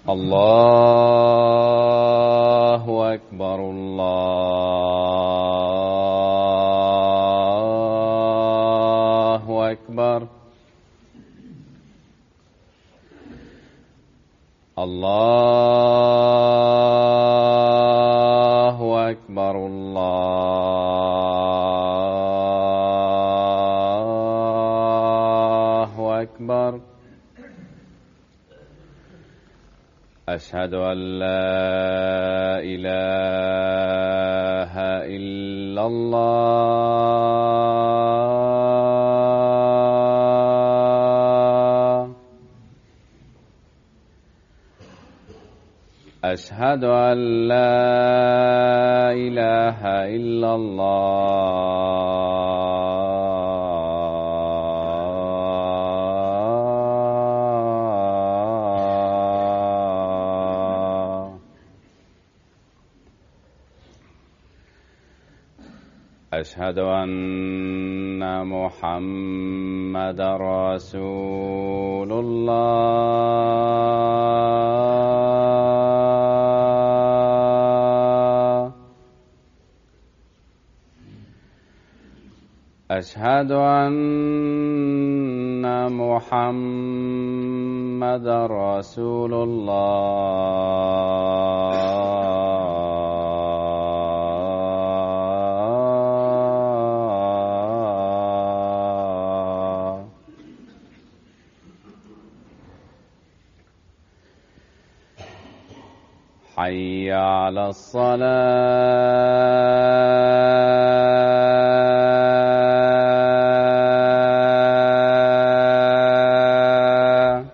الله أكبر الله أكبر الله أكبر الله أكبر أشهد أن لا إله إلا الله أشهد أن لا إله إلا الله أشهد أن محمد رسول الله أشهد أن محمد رسول الله حي على الصلاة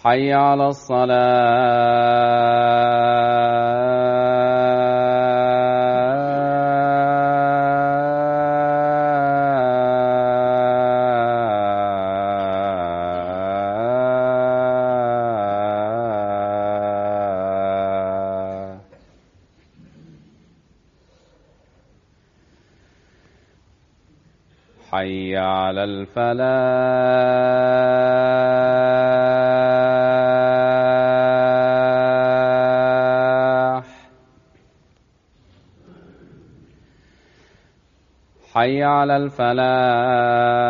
حي على الصلاة حي على الفلاح حي على الفلاح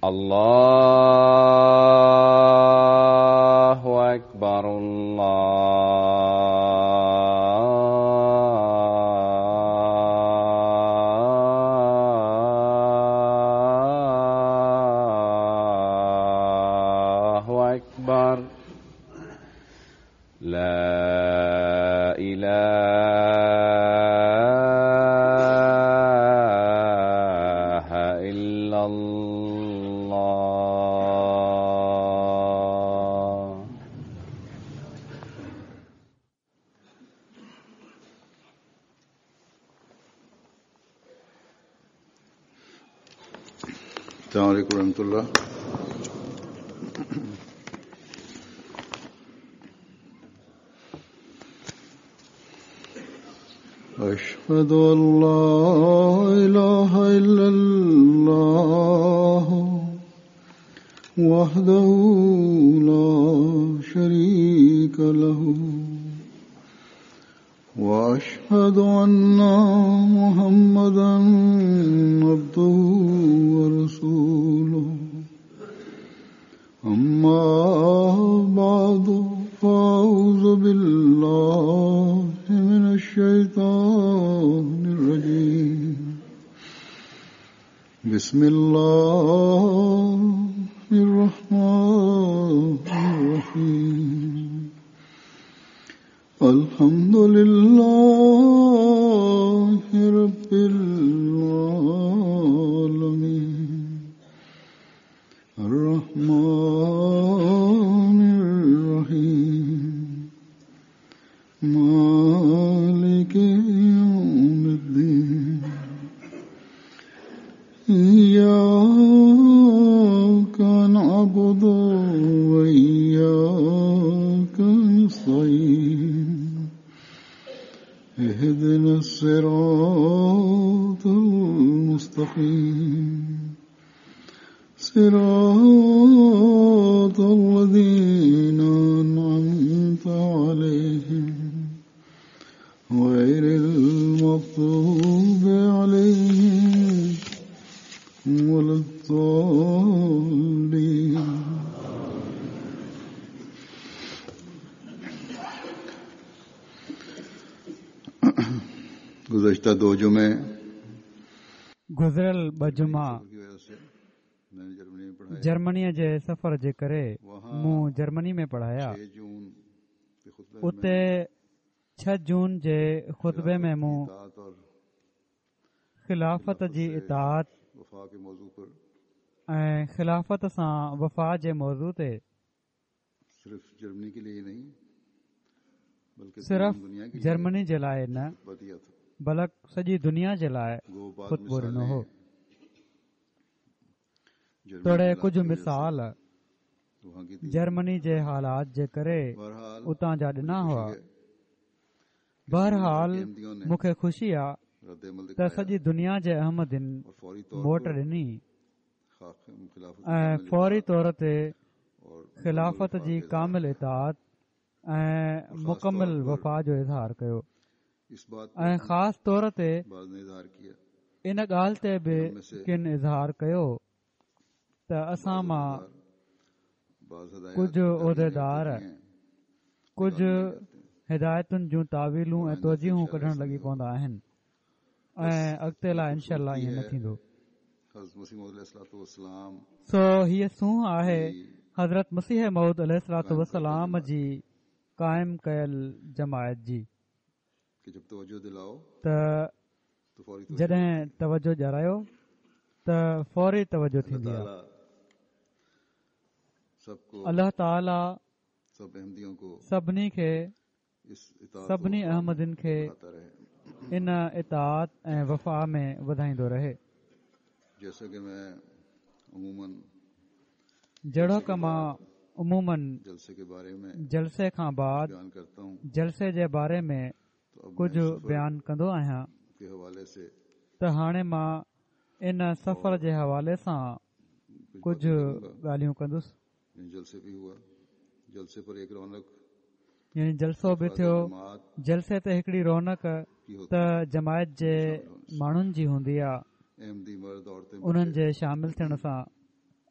الله أكبر الله أكبر لا إله إلا الله السلام عليكم ورحمة الله. أشهد أن لا إله إلا الله وحده لا شريك له وأشهد أن محمدا عبده ورسوله. أما بعد فأعوذ بالله من الشيطان الرجيم. بسم الله الرحمن الرحيم. الحمد لله رب العالمين الرحمن الرحيم مالك يوم اهدنا الصراط المستقيم صراط الذين أنعمت عليهم غير المغضوب عليهم ولا الضالين. गुज़श्ता दो जुमे गुज़िरियल ॿ जुमा जर्मनीء جي سفر جي ڪري مون جرمني ۾ پڙهايا. اتي 6 جون جي خطبي ۾ مون خلافت جي اطاعت ۽ خلافت سان وفا جي موضوع تي صرف جرمني جي لاء نه بلڪ سڄي دنيا جي لاء خطبو ڏنو هو. توڙي ڪجهه مثال جرمني جي حالات جي ڪري اتان جا ڏنا هئا. بهرحال مون کي خوشي آ ته سڄي دنيا جي احمدين موٽ ڏني ۽ فوري طور تي خلافت جي ڪامل اطاعت ۽ مڪمل وفا جو اظهار ڪيو ۽ خاص طور تي ان ڳالهه تي به ڪن اظهار ڪيو ته اسان مان ڪجهه عهديدار ڪجهه هدايتن جون تاويلون ۽ توجيهون ڪڍڻ لڳي پوندا آهن ۽ اڳتي لاء انشاء الله ائين نه ٿيندو. سو هيء سونهن آهي حضرت مسيح موعود عليه الصلوة والسلام جي قائم ڪيل جماعت جي ته جڏهن توجه ڏيارايو ته فوري توجه ٿيندي آهي. الله تعاليٰ سڀني کي سڀني احمدين کي ان اطاعت ۽ وفا ۾ وڌائيندو رهي. جهڙوڪ مان عموماً جلسي کان بعد جلسي جي باري ۾ ڪجهه بيان ڪندو آهيان ته هاڻي مان ان سفر جي حوالي سان ڪجهه ڳالهيون ڪندس. يعني جلسو به ٿيو، جلسي تي هڪڙي رونق ته جماعت جي ماڻهن جي هوندي آ، انهن جي شامل ٿيڻ سان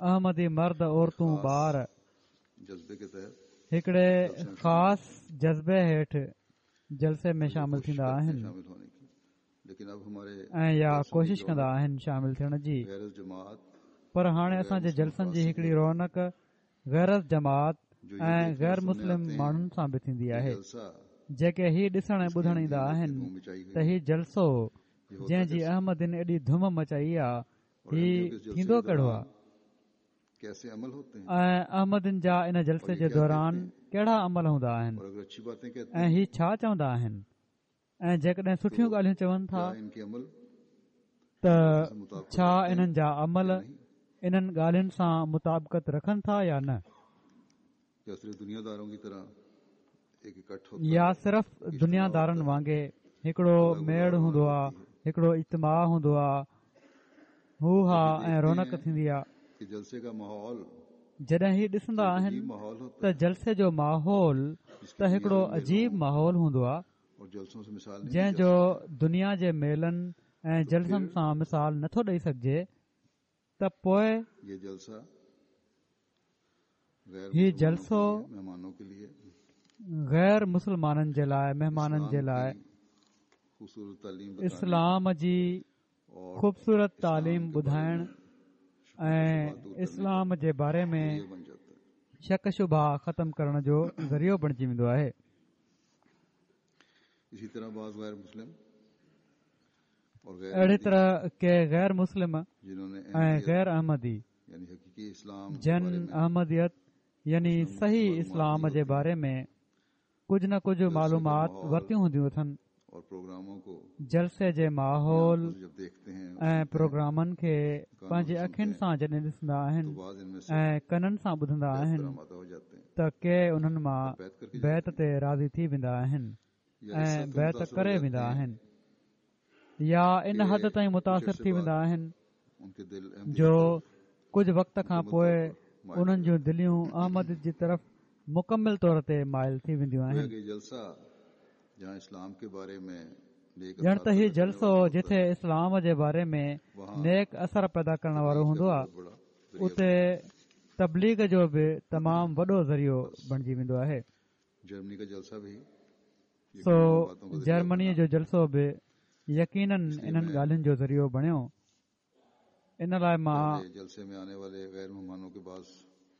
احمدي مرد عورتون ٻار هڪڙي خاص جذبي هيٺ جلسي ۾ شامل ٿيندا آهن ۽ يا ڪوشش ڪندا آهن شامل ٿيڻ جي پر هاڻي اسان جي جلسن جي هڪڙي رونق غير از جماعت ۽ غير مسلم ماڻهن سان به ٿيندي آهي جيڪي هي ڏسڻ ۽ ٻڌڻ ايندا آهن ته هي جلسو جنهن جي احمدين ايڏي ڌم مچائي آ هي ٿيندو ڪهڙو آ ۽ احمدين جا ان جلسي جي دوران ڪهڙا عمل هوندا آهن ۽ هي ڇا چوندا آهن ۽ جيڪڏهن سٺيون ڳالهيون چون ٿا ته ڇا انهن جا عمل انهن ڳالهين سان مطابقت رکن ٿا يا نه؟ يا صرف دنيا دارن وانگي هڪڙو ميڙ هوندو آ، هڪڙو اجتماع هوندو آ، هو ها ۽ رونق ٿيندي آ. جڏهن هي ڏسندا آهن ته جلسي جو ماحول ته هڪڙو عجيب ماحول هوندو آ، جنهن جو دنيا جي ميلن ۽ جلسن سان مثال نٿو ڏئي سگهجي ته پوء هي جلسو غير مسلمانن جي لاء مهمانن جي لاء اسلام جي خوبصورت تعليم ٻڌائڻ ۽ اسلام جي باري ۾ شڪ شبها ختم ڪرڻ جو ذريعو بڻجي ويندو آهي. اهڙي طرح ڪي غير مسلم ۽ غير احمدي جن احمديت يعني صحيح اسلام جي باري ۾ ڪجهه نه ڪجهه معلومات ورتيون هونديون اٿن. جلسي جي ماحول ۽ پروگرامن کي پنهنجي اکين سان جڏهن ڏسندا آهن ۽ ڪنن سان ٻڌندا آهن ته ڪي انهن مان بيعت تي راضي ٿي ويندا آهن. ۽ بيعت ڪري ويندا آهن يا ان حد تائين متاثر ٿي ويندا آهن جو ڪجهه وقت کان پوء انهن جون دليون احمديت جي طرف مڪمل طور تي مائل ٿي وينديون آهن. ڄڻ ته هي جلسو جٿي اسلام جي باري ۾ نيڪ اثر پيدا ڪرڻ وارو هوندو آهي اتي تبليغ جو به تمام وڏو ذريعو بڻجي ويندو آهي. سو جرمنيء جو جلسو به يقينن انهن ڳالهين جو ذريعو بڻيو. ان لاء مان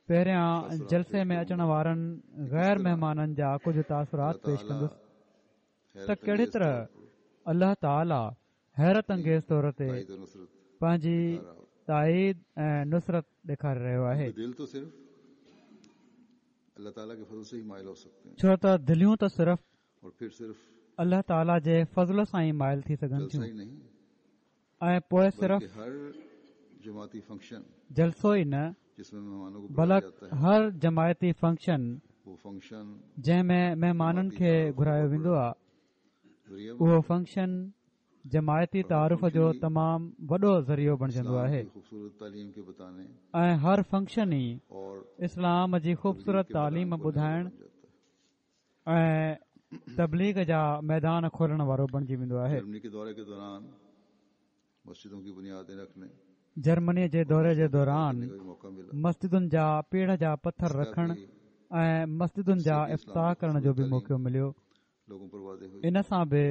پهريان جلسي ۾ اچڻ وارن غير مهمانن جا ڪجهه تاثرات پيش ڪندس ته ڪهڙي طرح الله تعاليٰ حيرت انگيز طور تي پنهنجي تائيد ۽ نصرت ڏيکاري رهيو آهي. ڇو ته دليون ته صرف الله تعاليٰ جي فضل سان ئي مائل ٿي سگهن ٿيون ۽ پوء صرف جلسو ئي نه بلڪ هر جماعتي فنڪشن جنهن ۾ مهمانن کي گهرايو ويندو آهي اهو فنڪشن جماعتي تعارف جو تمام وڏو ذريعو بڻجندو آهي ۽ هر فنڪشن ئي اسلام جي خوبصورت تعليم ٻڌائڻ ۽ تبليغ جا ميدان کولڻ وارو بڻجي ويندو آهي. جرمني جي دوري جي دوران مسجدن جا پيڙهه جا پٿر رکڻ ۽ مسجدن جا افتتاح ڪرڻ جو به موقعو مليو. ان سان به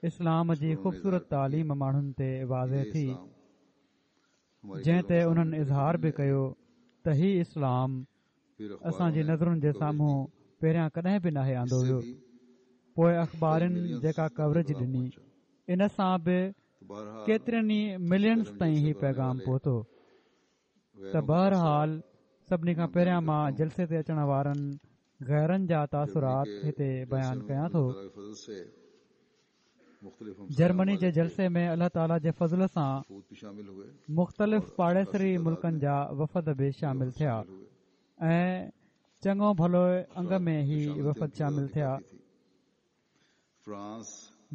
اسلام جي خوبصورت تعليم ماڻهن تي واضح ٿي، جنهن تي انهن اظهار به ڪيو ته هي اسلام اسان جي نظرن جي سامهون پهريان ڪڏهن به ناهي آندو ويو. پوء اخبارن جيڪا ڪوريج ڏني، ان سان به ڪيترين ئي ملينز تائين هي پيغام پهتو. ته بهرحال سڀني کان پهريان مان جلسي تي اچڻ وارن غيرن جا تاثرات هتي بيان ڪيان ٿو. جرمني جي جلسي ۾ الله تعاليٰ جي فضل سان مختلف پاڙيسري ملڪن جا وفد به شامل ٿيا ۽ چڱو ڀلو انگ ۾ هي وفد شامل ٿيا.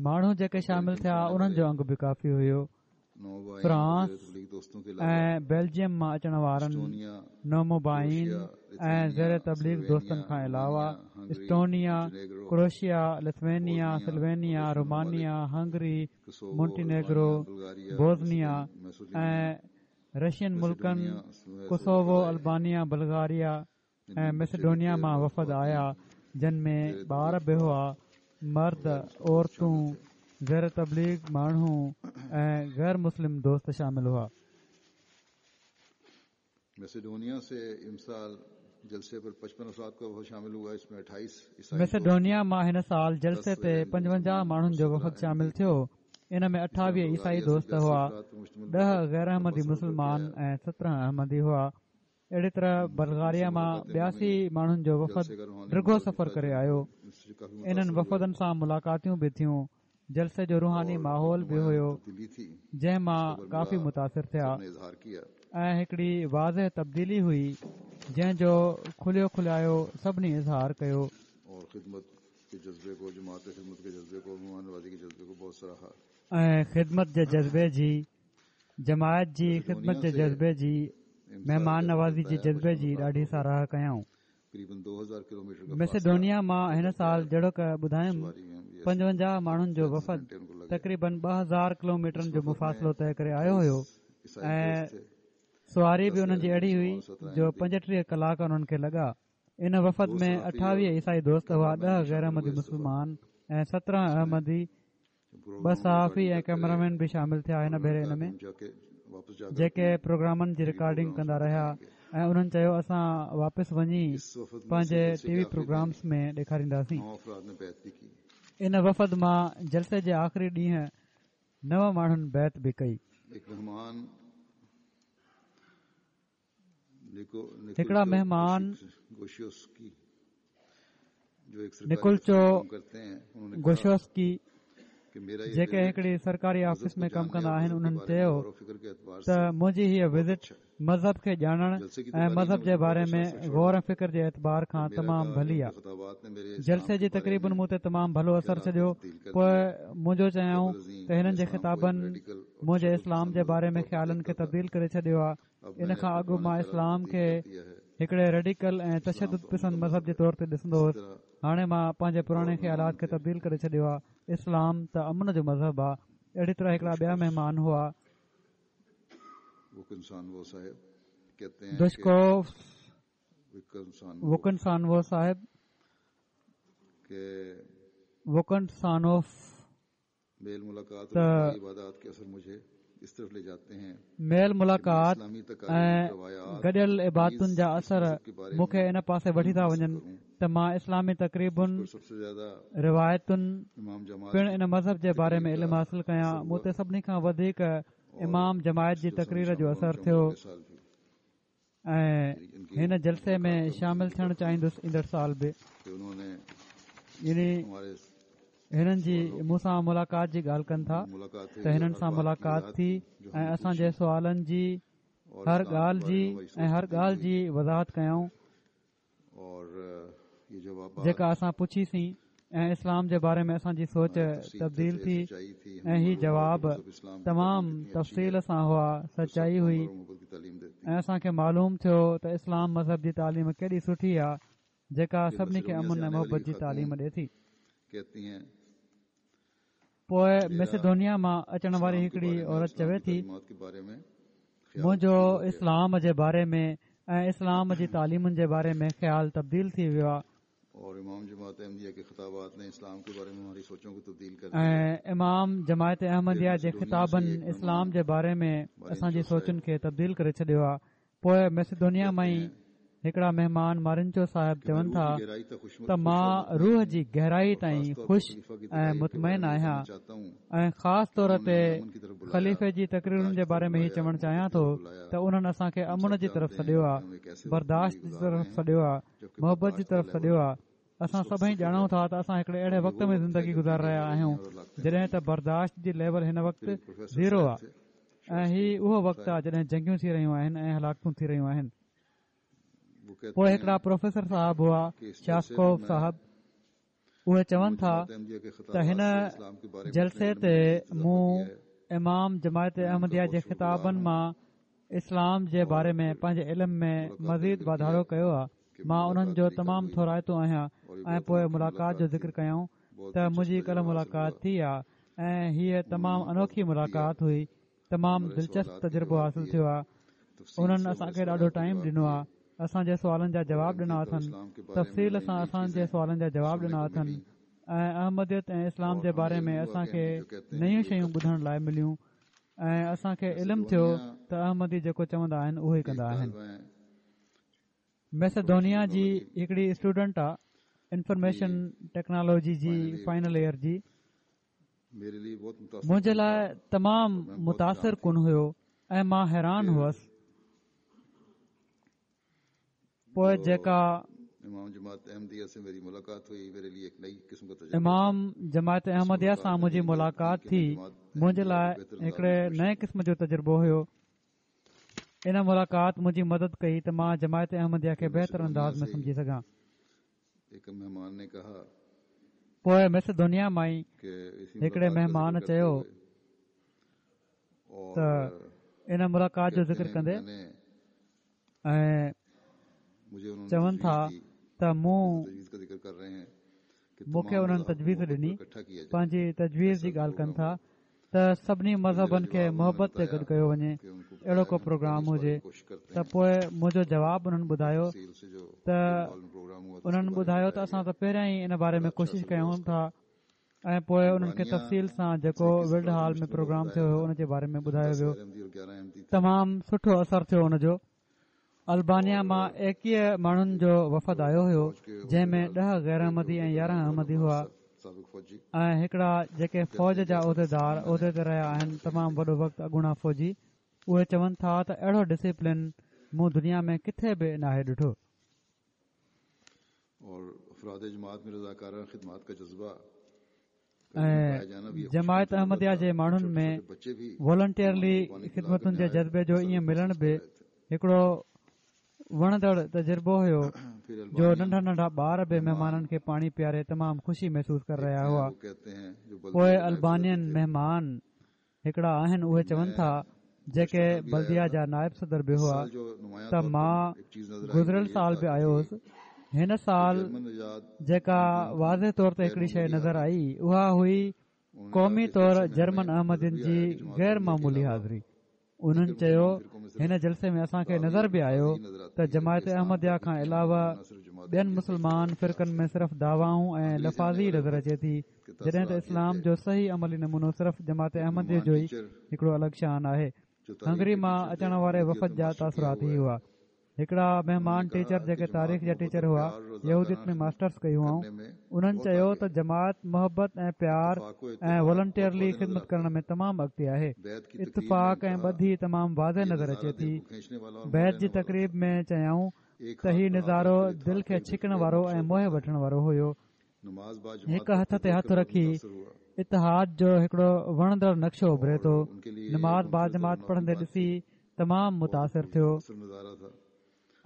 ماڻهو جيڪي شامل ٿيا انهن جو انگ به ڪافي هيو. فرانس ۽ بيلجيم مان اچڻ وارن نومبائعين ۽ زير تبليغ دوستن کان علاوه Estonia, Croatia, Lithuania, Slovenia, Romania, Hungary, Montenegro, Bosnia ۽ Russian ملڪن ڪوسووو، البانيا، بلغاريا، ۽ مئسيڊونيا مان وفد آيا جن ۾ ٻار به هئا، مرد، عورتون، زير تبليغ ماڻهو ۽ غير مسلم دوست شامل هئا. مئسيڊونيا مان هن سال جلسي تي 55 ماڻهن جو وفد شامل ٿيو، ان ۾ 28 عيسائي دوست هئا، 10 غيراحمدي مسلمان ۽ 17 احمدي هئا. اهڙي طرح بلغاريا مان 82 ماڻهن جو وفد ڊگهو سفر ڪري آيو. انهن وفدن سان ملاقاتيون به ٿيون. جلسي جو روحاني ماحول به هيو جنهن مان ڪافي متاثر ٿيا ۽ هڪڙي واضح تبديلي هئي جنهن جو کليو کلايو سڀني اظهار ڪيو. ۽ خدمت جي جذبي جي جماعت جي خدمت جي جذبي جي مهمان نوازي جي جذبي جي ڏاڍي ساراهه ڪيائون. مئسيڊونيا مان هن سال جهڙوڪ ٻڌايم 55 ماڻهن جو وفد تقريبن 2000 ڪلوميٽرن جو مفاصلو طئي ڪري آيو هيو ۽ سواري به انهن جي اهڙي هئي جو 35 ڪلاڪ انهن کي لڳا. ان وفد ۾ 28 عيسائي دوست هئا، 10 غيراحمدي مسلمان ۽ 17 احمدي ٻه صحافي ۽ ڪئميرامين به شامل ٿيا هن ڀيري ان ۾ جيڪي پروگرامن جي رڪارڊنگ ڪندا رهيا ۽ انهن چيو اسان واپس وڃي پنهنجي ٽي وي پروگرامس ۾ ڏيکارينداسين ان وفد مان جلسي جي آخري ڏينهن نو ماڻهن بيعت به ڪئي. هڪڙا مهمان نڪولچو گوشوسڪي جيڪي هڪڙي سرڪاري آفيس ۾ ڪم ڪندا آهن انهن چيو ته منهنجي هيء وزٽ مذهب کي ڄاڻڻ ۽ مذهب جي باري ۾ غور ۽ فڪر جي اعتبار کان تمام ڀلي آ. جلسي جي تقريبن مون تي تمام ڀلو اثر ڇڏيو. پوء منهنجو چيائون ته هنن جي خطابن منهنجي اسلام جي باري ۾ خيالن کي تبديل ڪري ڇڏيو آ. ان کان اڳ مان اسلام کي هڪڙي ريڊيڪل ۽ تشدد پسند مذهب جي طور تي ڏسندو هوس. هاڻي مان پنهنجي پراڻي خيالات کي تبديل ڪري ڇڏيو آ. اسلام ته امن جو مذهب آ. اهڙي طرح هڪڙا ٻيا مهمان هئا. دشڪوف ووڪنسانوو صاحب ووڪنسانوف ته ميل ملاقات ۽ گڏيل عبادتن جا اثر مون کي ان پاسي وٺي ٿا وڃن ته مان اسلامي تقريبن روايتن پڻ ان مذهب جي باري ۾ علم حاصل ڪيان مون تي سڀني کان وڌيڪ امام جماعت جي تقرير جو اثر ٿيو ۽ هن جلسي ۾ شامل ٿيڻ چاهيندس ايندڙ سال به يعني هنن جي مون سان ملاقات جي ڳالهه ڪن ٿا ته هنن سان ملاقات ٿي ۽ اسان جي سوالن جي هر ڳالهه جي ۽ هر ڳالهه جي وضاحت ڪيائون جيڪا اسان پڇي سين ۽ اسلام جي باري ۾ اسان جي سوچ تبديل ٿي ۽ هي جواب تمام تفصيل سان هئا سچائي هئي ۽ اسان کي معلوم ٿيو ته اسلام مذهب جي تعليم ڪيڏي سٺي آهي جيڪا سڀني کي امن ۽ محبت جي تعليم ڏي ٿي. پوء ميسيڊونيا مان اچڻ واري هڪڙي عورت چوي ٿي، منهنجو اسلام جي باري ۾ ۽ اسلام جي تعليمن جي باري ۾ خيال تبديل ٿي ويو آهي. ۽ امام جماعت احمديه جي خطابن اسلام جي باري ۾ اسان جي سوچن کي تبديل ڪري ڇڏيو آهي. پوء ميسيدونيا مان ئي هڪڙا مهمان مارنچو صاحب چون ٿا ته مان روح جي گهرائي تائين خوش ۽ مطمئن آهيان ۽ خاص طور تي خليفي جي تقريرن جي باري ۾ هي چوڻ چاهيان ٿو ته انهن اسان کي امن جي طرف سڏيو آهي، برداشت جي طرف سڏيو آهي، محبت جي طرف سڏيو آهي. اسان سڀئي ڄاڻون ٿا ته اسان هڪڙي اهڙي وقت ۾ زندگي گذاري رهيا آهيون جڏهن ته برداشت جي ليول هن وقت زيرو آهي ۽ هي اهو وقت آهي جڏهن جنگيون ٿي رهيون آهن ۽ هلاڪتون ٿي رهيون آهن. پوء هڪڙا پروفيسر صاحب هئا شاسڪوف صاحب اهي چون ٿا ته هن جلسي تي مون امام جماعت احمديه جي خطابن مان اسلام جي باري ۾ پنهنجي علم ۾ مزيد واڌارو ڪيو آهي مان انهن جو تمام ٿورائتو آهيان ۽ پوء ملاقات جو ذڪر ڪيائون ته منهنجي ڪلهه ملاقات ٿي آ ۽ هيء تمام انوکي ملاقات هئي تمام دلچسپ تجربو حاصل ٿيو آ انهن اسان کي ڏاڍو ٽائيم ڏنو آ اسان جي سوالن جا جواب ڏنا اٿن تفصيل سان اسان جي سوالن جا جواب ڏنا اٿن ۽ احمديت ۽ اسلام جي باري ۾ اسان کي نيون شيون ٻڌڻ لاء مليون ۽ اسان کي علم ٿيو ته احمدي جيڪو چوندا آهن اهو ئي ڪندا آهن. ميسيڊونيا جي هڪڙي اسٽوڊنٽ آ انفارميشن ٽيڪنالاجي جي فائنل ايئر جي منهنجي لاء تمام متاثر ڪن هيو ۽ مان حيران هئس پوء جيڪا امام جماعت احمديه سان منهنجي ملاقات ٿي منهنجي لاء هڪڙي نئين قسم جو تجربو هيو ان ملاقات منهنجي مدد ڪئي ته مان جماعت احمديه کي بهتر انداز ۾ سمجهي سگهان. پوء ميسيڊونيا مان ئي هڪڙي مهمان چيو ته ان ملاقات جو ذڪر ڪندي ۽ چون ٿا ته مون مون کي انهن تجويز ڏني، پنهنجي تجويز جي ڳالهه ڪن ٿا ته سڀني مذهبن کي محبت تي گڏ ڪيو وڃي، اهڙو ڪو پروگرام هجي ته پوء منهنجو جواب انهن ٻڌايو ته انهن ٻڌايو ته اسان ته پهريان ئي ان باري ۾ ڪوشش ڪيون ٿا ۽ پوء انهن کي تفصيل سان جيڪو ولڊ هال ۾ پروگرام ٿيو هيو ان جي باري ۾ ٻڌايو ويو تمام سٺو اثر ٿيو ان جو. البانيا مان ايڪيهه ماڻهن جو وفد آيو هيو جنهن ۾ ڏهه غير احمدي ۽ يارهن احمدي هئا ۽ هڪڙا جيڪي فوج جا عهديدار عهدي تي رهيا آهن تمام وڏو وقت اڳوڻا فوجي اهي چون ٿا ته اهڙو ڊسيپلين مون دنيا ۾ ڪٿي به ناهي ڏٺو. ۽ جماعت احمديه جي ماڻهن ۾ والنٽيئرلي خدمتن جي جذبي جو ائين ملڻ به. هڪڙو وڻندڙ تجربو هيو جو ننڍا ننڍا ٻار به مهمانن کي پاڻي پياري تمام خوشي محسوس ڪري رهيا هئا. پوء البانين مهمان هڪڙا آهن اهي چون ٿا جيڪي بلديه جا نائب صدر به هئا ته مان گذريل سال به آيو هوس هن سال جيڪا واضح طور تي هڪڙي شيء نظر آئي اها هئي قومي طور جرمن احمدين جي غير معمولي حاضري. انهن چيو هن جلسي ۾ اسان کي نظر به آيو ته جماعت احمديه کان علاوه ٻين مسلمان فرقن ۾ صرف دعوائون ۽ لفاظي نظر اچي ٿي جڏهن ته اسلام جو صحيح عملي نمونو صرف جماعت احمديه جو ئي هڪڙو الڳ شان آهي هنگري مان اچڻ واري وفد جا تاثرات هي هئا هڪڙا مهمان ٽيچر جيڪي تاريخ جا ٽيچر هئا، يهوديت ۾ ماسٽرس ڪئي هئائون، انهن چيو ته جماعت محبت ۽ پيار ۽ والنٽيئرلي خدمت ڪرڻ ۾ تمام اڳتي آهي. اتفاق ۽ ٻڌي تمام واضح نظر اچي ٿي. بيعت جي تقريب ۾ چيائون ته هي نظارو دل کي ڇڪڻ وارو ۽ موهي وٺڻ وارو هيو. هڪ هٿ تي هٿ رکي اتحاد جو هڪڙو وڻندڙ نقشو اڀري ٿو. نماز باجماعت پڙهندي ڏسي تمام متاثر ٿيو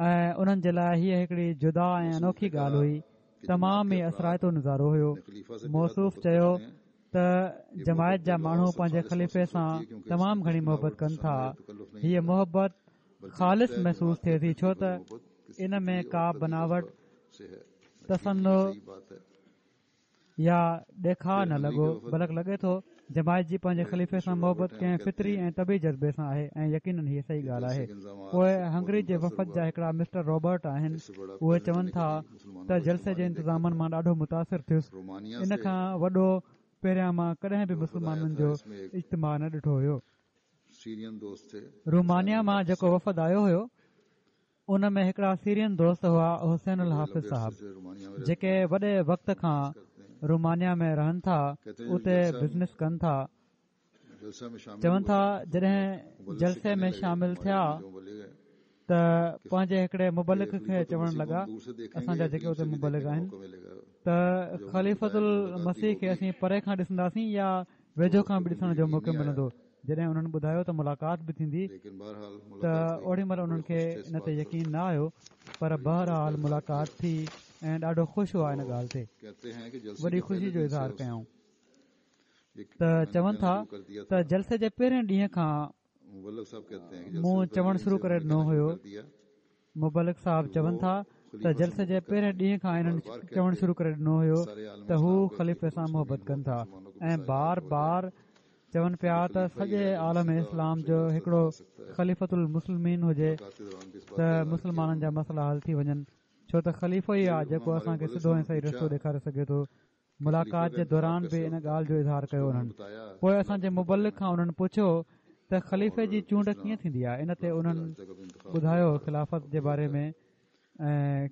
۽ انهن جي لاء هيء هڪڙي جدا ۽ انوکي ڳالهه هئي. تمام ئي اثرائتو نظارو هيو. موصوف چيو ته جماعت جا ماڻهو پنهنجي خليفي سان تمام گهڻي محبت ڪن ٿا. هيء محبت خالص محسوس ٿئي ٿي ڇو ته ان ۾ ڪا بناوٽ تصنع يا ڏيکاء نه لڳو بلڪ لڳي ٿو جماعت جي پنهنجي خليفي سان محبت ڪنهن فطري ۽ طبعي جذبي سان آهي ۽ يقينن هيء صحيح ڳالهه آهي. پوء هنگري جي وفد جا هڪڙا مسٽر رابرٽ آهن اهي چون ٿا ته جلسي جي انتظامن مان ڏاڍو متاثر ٿيس ان کان وڏو پهريان مان ڪڏهن به مسلمانن جو اجتماع نه ڏٺو هيو. رومانيا مان جيڪو وفد آيو هيو ان ۾ هڪڙا سيرين دوست هئا حسين الحافظ صاحب جيڪي وڏي وقت کان رومانيا ۾ رهن ٿا اتي بزنس ڪن ٿا چون ٿا جڏهن جلسي ۾ شامل ٿيا ته پنهنجي هڪڙي مبلغ کي چوڻ لڳا اسان جا جيڪي اتي مبلغ آهن ته خليفت المسيح کي اسين پري کان ڏسنداسين يا ويجهو کان به ڏسڻ جو موقعو ملندو جڏهن انهن ٻڌايو ته ملاقات به ٿيندي ته اوڏي مهل انهن کي ان تي يقين نه آيو پر بهرحال ملاقات ٿي ۽ ڏاڍو خوش هئا ان ڳالهه تي وڏي خوشي جو اظهار ڪيائون ته چون ٿا ته جلسي جي پهرين ڏينهن کان مون چوڻ شروع ڪري ڏنو هيو مبلغ صاحب چون ٿا ته جلسي جي پهرين ڏينهن کان انهن چوڻ شروع ڪري ڏنو هيو ته هو خليفي سان محبت ڪن ٿا ۽ بار بار چون پيا ته سڄي عالم اسلام جو هڪڙو خليفت المسلمين هجي ته مسلمانن جا مسئلا حل ٿي وڃن ڇو ته خليفو ئي آهي جيڪو اسان کي سڌو ۽ صحيح رستو ڏيکاري سگهي ٿو ملاقات جي دوران به ان ڳالهه جو اظهار ڪيو انهن پوء اسان جي مبلغ کان انهن پڇيو ته خليفي جي چونڊ ڪيئن ٿيندي آهي ان تي انهن ٻڌايو خلافت جي باري ۾ ۽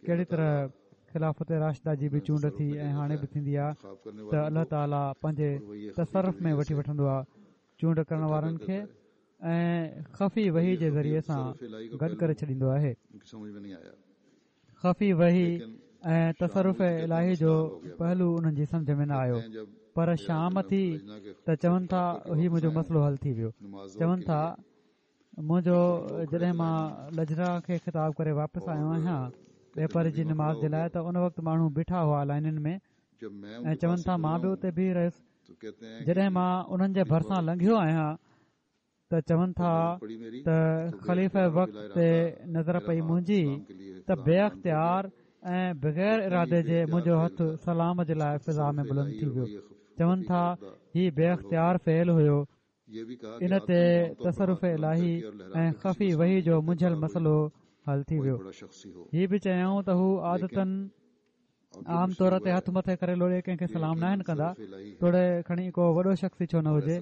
ڪهڙي طرح خلافت راشده جي به چونڊ ٿي ۽ هاڻي به ٿيندي آهي ته الله تعاليٰ پنهنجي تصرف ۾ وٺي وٺندو آهي چونڊ ڪرڻ وارن کي ۽ خفي وحي جي ذريعي سان گڏ ڪري ڇڏيندو آهي. خفي وحي ۽ تصرف الاهي جو پهلو انهن جي سمجه ۾ نه آيو پر شام ٿي ته چون ٿا هي منهنجو مسئلو حل ٿي ويو چون ٿا منهنجو جڏهن مان لجنا کي خطاب ڪري واپس آيو آهيان ٻپهري جي نماز جي لاء ته ان وقت ماڻهو بيٺا هئا لائنن ۾ ۽ چون ٿا مان به اتي بيهي رهيس جڏهن مان انهن جي ڀرسان لنگهيو آهيان ته چون ٿا ته خليفه وقت تي نظر پئي منهنجي ته بي اختيار ۽ بغير ارادي جي منهنجو هٿ سلام جي لاء فضا ۾ بلند ٿي ويو چون ٿا هي بي اختيار فعل هيو ان تي تصرف الاهي ۽ خفي وحي جو منجهيل مسئلو حل ٿي ويو. هي به چيائون ته هو عادتن عام طور تي هٿ مٿي ڪري لوڏي ڪنهن کي سلام ناهن ڪندا توڙي کڻي ڪو وڏو شخص ئي ڇو نه هجي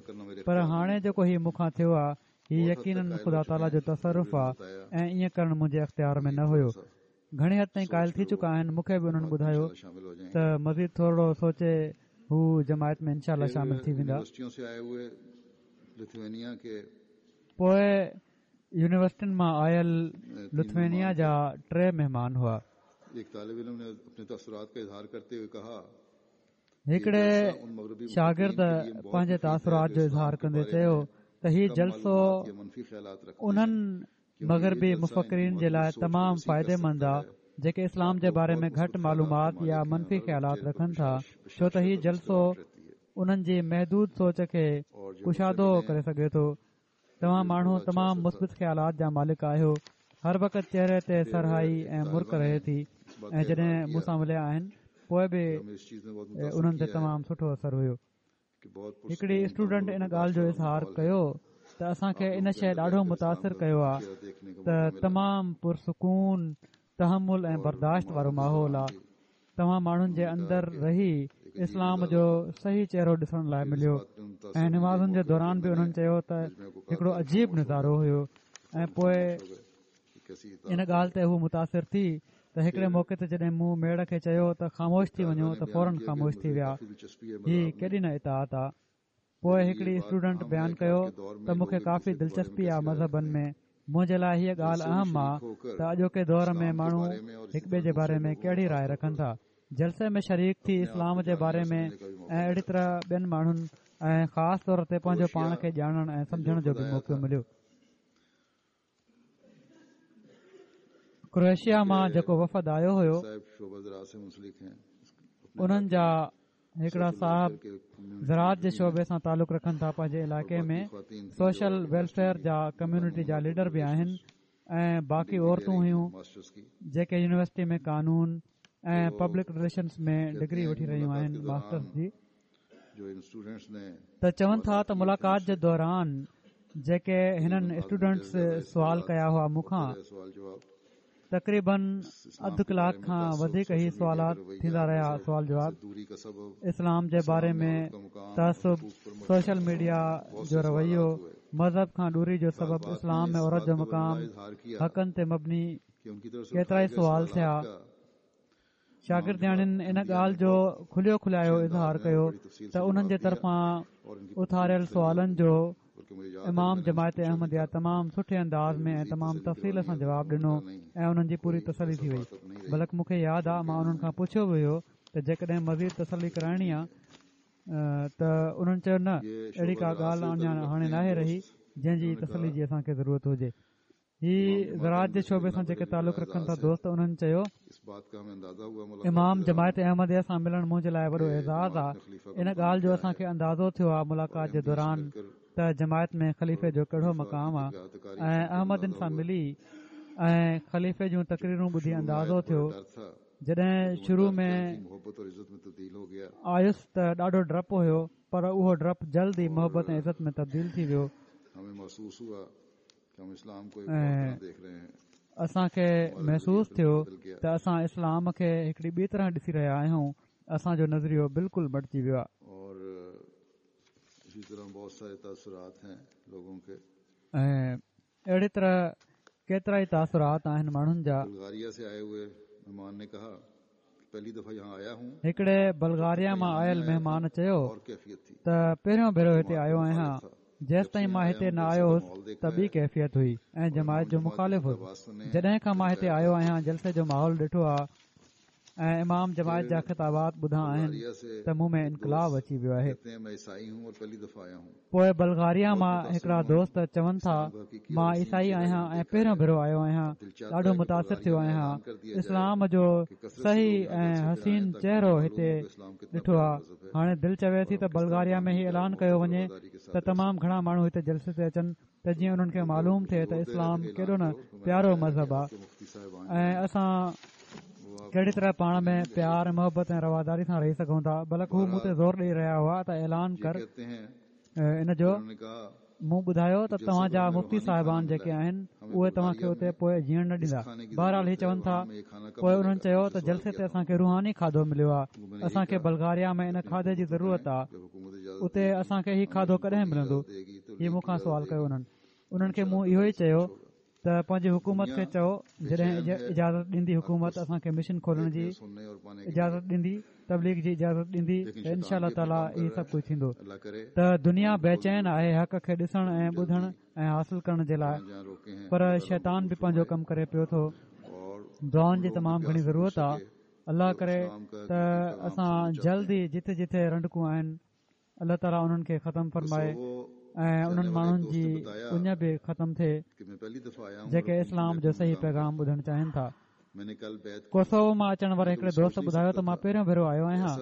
پر هاڻي جيڪو هي مون کان ٿيو آهي هي يقينن خدا تعاليٰ جو تصرف آهي ۽ ائين ڪرڻ منهنجي اختيار ۾ نه هيو گهڻي حد تائين قائل ٿي چڪا آهن مون کي به انهن ٻڌايو ته مزيد ٿورڙو سوچي هو جماعت ۾ انشاء الله شامل ٿي ويندا. پوء يونيورسٽين مان آيل لٿوينيا جا ٽي مهمان هئا. هڪڙي شاگرد پنهنجي تاثرات جو اظهار ڪندي چيو ته هي جلسو انهن. مغربي مفڪرين جي لاء تمام فائديمند آ جيڪي اسلام جي باري ۾ گهٽ معلومات يا منفي خيالات رکن ٿا ڇو ته هي جلسو انهن جي محدود سوچ کي ڪشادو ڪري سگهي ٿو. توهان ماڻهو تمام مثبت خيالات جا مالڪ آهيو. هر وقت چهري تي سرهائي ۽ مرڪ رهي ٿي ۽ جڏهن مون سان مليا آهن پوء به انهن تي تمام سٺو اثر هيو. هڪڙي اسٽوڊنٽ ان ڳالهه جو اظهار ڪيو ته اسان کي ان شيء ڏاڍو متاثر ڪيو آهي ته تمام پرسڪون تحمل ۽ برداشت وارو ماحول آهي توهان ماڻهن جي اندر رهي اسلام جو صحيح چهرو ڏسڻ لاء مليو ۽ نمازن جي دوران به انهن چيو ته هڪڙو عجيب نظارو هيو ۽ پوء ان ڳالهه تي هو متاثر ٿي ته هڪڙي موقعي تي جڏهن مون ميڙ کي چيو ته خاموش ٿي وڃو ته فورن خاموش ٿي ويا. هي ڪيڏي نه اطاعت آ. پوء هڪڙي اسٽوڊنٽ بيان ڪيو ته مون کي ڪافي دلچسپي آ مذهبن ۾، منهنجي لاء هيء ڳالهه اهم آ ته اڄوڪي دور ۾ ماڻهو هڪٻئي جي باري ۾ ڪهڙي راء رکن ٿا. جلسي ۾ شريڪ ٿي اسلام جي باري ۾ ۽ اهڙي طرح ٻين ماڻهن ۽ خاص طور تي پنهنجو پاڻ کي ڄاڻڻ ۽ سمجهڻ جو به موقعو مليو. ڪروئيشيا مان جيڪو وفد آيو هيو انهن جا هڪڙا صاحب زراعت جي شعبي سان تعلق رکن ٿا پنهنجي علائقي ۾ سوشل ويلفيئر جا ڪميونٽي جا ليڊر به آهن ۽ باقي عورتون هيون جيڪي يونيورسٽي ۾ قانون ۽ پبلڪ رليشنس ۾ ڊگري وٺي رهيون آهن ماسٽرس جي ته چون ٿا ته ملاقات جي دوران جيڪي هنن اسٽوڊنٽس سوال ڪيا هئا مون کان تقريبن اڌ ڪلاڪ کان وڌيڪ هي سوالات ٿيندا رهيا سوال جواب اسلام جي باري ۾ تعصب سوشل ميڊيا جو رويو مذهب کان دوري جو سبب اسلام ۾ عورت جو مقام حقن تي مبني ڪيترائي سوال ٿيا شاگردياڻين ان ڳالهه جو کليو کلايو اظهار ڪيو ته انهن جي طرفان اٿاريل سوالن جو امام جماعت احمديه تمام سٺي انداز ۾ ۽ تمام تفصيل سان جواب ڏنو ۽ انهن جي پوري تسلي ٿي وئي بلڪ مون کي ياد آ مان انهن کان پڇيو به هيو ته جيڪڏهن مزيد تسلي ڪرائڻي آ ته انهن چيو نه اهڙي ڪا ڳالهه اڃا هاڻي ناهي رهي جنهن جي تسلي جي اسان کي ضرورت هجي هي زراعت جي شعبي سان جيڪي تعلق رکن ٿا دوست انهن چيو امام جماعت احمديه سان ملڻ منهنجي لاء وڏو اعزاز آ ان ڳالهه جو اسان کي اندازو ٿيو آ ملاقات جي دوران ته جماعت ۾ خليفي جو ڪهڙو مقام آ ۽ احمدين سان ملي ۽ خليفي جون تقريرون ٻڌي اندازو ٿيو جڏهن شروع ۾ آيس ته ڏاڍو ڊپ هيو پر اهو ڊپ جلد ئي محبت ۽ عزت ۾ تبديل ٿي ويو ۽ اسان کي محسوس ٿيو ته اسان اسلام کي هڪڙي ٻي طرح ڏسي رهيا آهيون اسان جو نظريو بلڪل مٽجي ويو آهي. ۽ اهڙي طرح ڪيترائي تاثرات آهن ماڻهن جا. هڪڙي بلغاريا مان آيل مهمان چيو ته پهريون ڀيرو هتي آيو آهيان جيستائين مان هتي نه آيو هوس ته ٻي ڪيفيت هئي ۽ جماعت جو مخالف هوس جڏهن کان مان هتي آيو آهيان جلسي جو ماحول ڏٺو آهي ۽ امام جماعت جا خطابات ٻڌا آهن ته مون ۾ انقلاب اچي ويو آهي. پوء بلغاريا مان هڪڙا دوست چون ٿا مان عيسائي آهيان ۽ پهريون ڀيرو آيو آهيان ڏاڍو متاثر ٿيو آهيان اسلام جو صحيح ۽ حسين چهرو هتي ڏٺو آهي هاڻي دل چوي ٿي ته بلغاريا ۾ هي اعلان ڪيو وڃي ته تمام گهڻا ماڻهو هتي جلسي تي اچن ته جيئن انهن کي معلوم ٿئي ته اسلام ڪيڏو نه پيارو مذهب آهي ۽ اسان ڪهڙي طرح پاڻ ۾ پيار ۽ محبت ۽ رواداري سان رهي سگهون ٿا بلڪ هو مون تي زور ڏئي رهيا هئا ته اعلان ڪر ان جو مون ٻڌايو ته توهان جا مفتي صاحبان جيڪي آهن اهي توهان کي اتي پوء جيئڻ نه ڏيندا بهرحال هي چون ٿا پوء انهن چيو ته جلسي تي اسان کي روحاني کاڌو مليو آهي اسان کي بلغاريا ۾ ان کاڌي جي ضرورت آهي اتي اسان کي هي کاڌو ڪڏهن ملندو هي مون کان سوال ڪيو انهن انهن کي مون اهو ئي چيو ته پنهنجي حڪومت کي چئو جڏهن اجازت ڏيندي حڪومت اسان کي مشن کولڻ جي اجازت ڏيندي تبليغ جي اجازت ڏيندي ته انشاء الله تعاليٰ هي سڀ ڪجهه ٿيندو ته دنيا بيچين آهي حق کي ڏسڻ ۽ ٻڌڻ ۽ حاصل ڪرڻ جي لاء پر شيطان به پنهنجو ڪم ڪري پيو ٿو دعائن جي تمام گهڻي ضرورت آهي الله ڪري ته اسان جلد ئي جٿي جٿي رنڊڪون آهن الله تعاليٰ انهن کي ختم فرمائي. ۽ انهن ماڻهن جي اڃ به ختم ٿئي جيڪي اسلام جو صحيح پيغام ٻڌڻ چاهين ٿا. ڪوسوو مان اچڻ واري هڪڙي دوست ٻڌايو ته مان پهريون ڀيرو آيو آهيان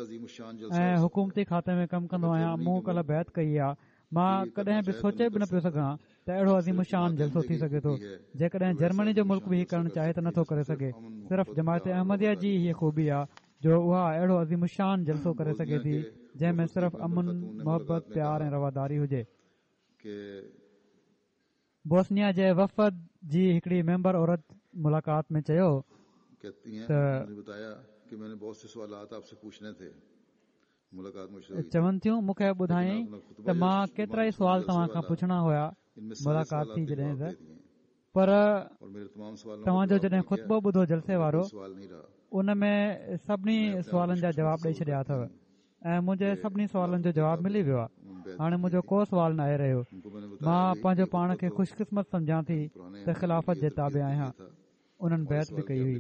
۽ حڪومتي کاتي ۾ ڪم ڪندو آهيان مون ڪلهه بيعت ڪئي آ مان ڪڏهن به سوچي به نه پيو سگهان ته اهڙو عظيم الشان جلسو ٿي سگهي ٿو جيڪڏهن جرمني جو ملڪ به هي ڪرڻ چاهي ته نٿو ڪري سگهي صرف جماعت احمديه جي هيء خوبي آ جو اها اهڙو عظيم الشان جلسو ڪري سگهي ٿي جنهن ۾ صرف امن، محبت، پيار ۽ رواداري هجي. بوسنيا جي وفد جي هڪڙي ميمبر عورت ملاقات ۾ چيو ته. چون ٿيون مون کي ٻڌايائين ته مان ڪيترائي سوال توهان کان پڇڻا هيا ملاقات ٿي جڏهن ته پر توهان جو جڏهن خطبو ٻڌو جلسي وارو ان ۾ سڀني سوالن جا جواب ڏئي ڇڏيا اٿو ۽ منهنجي سڀني سوالن جو جواب ملي ويو آهي هاڻي منهنجو ڪو سوال ناهي رهيو مان پنهنجو پاڻ کي خوش قسمت سمجهان ٿي ته خلافت جي تابع آهيان انهن بيعت به ڪئي هئي.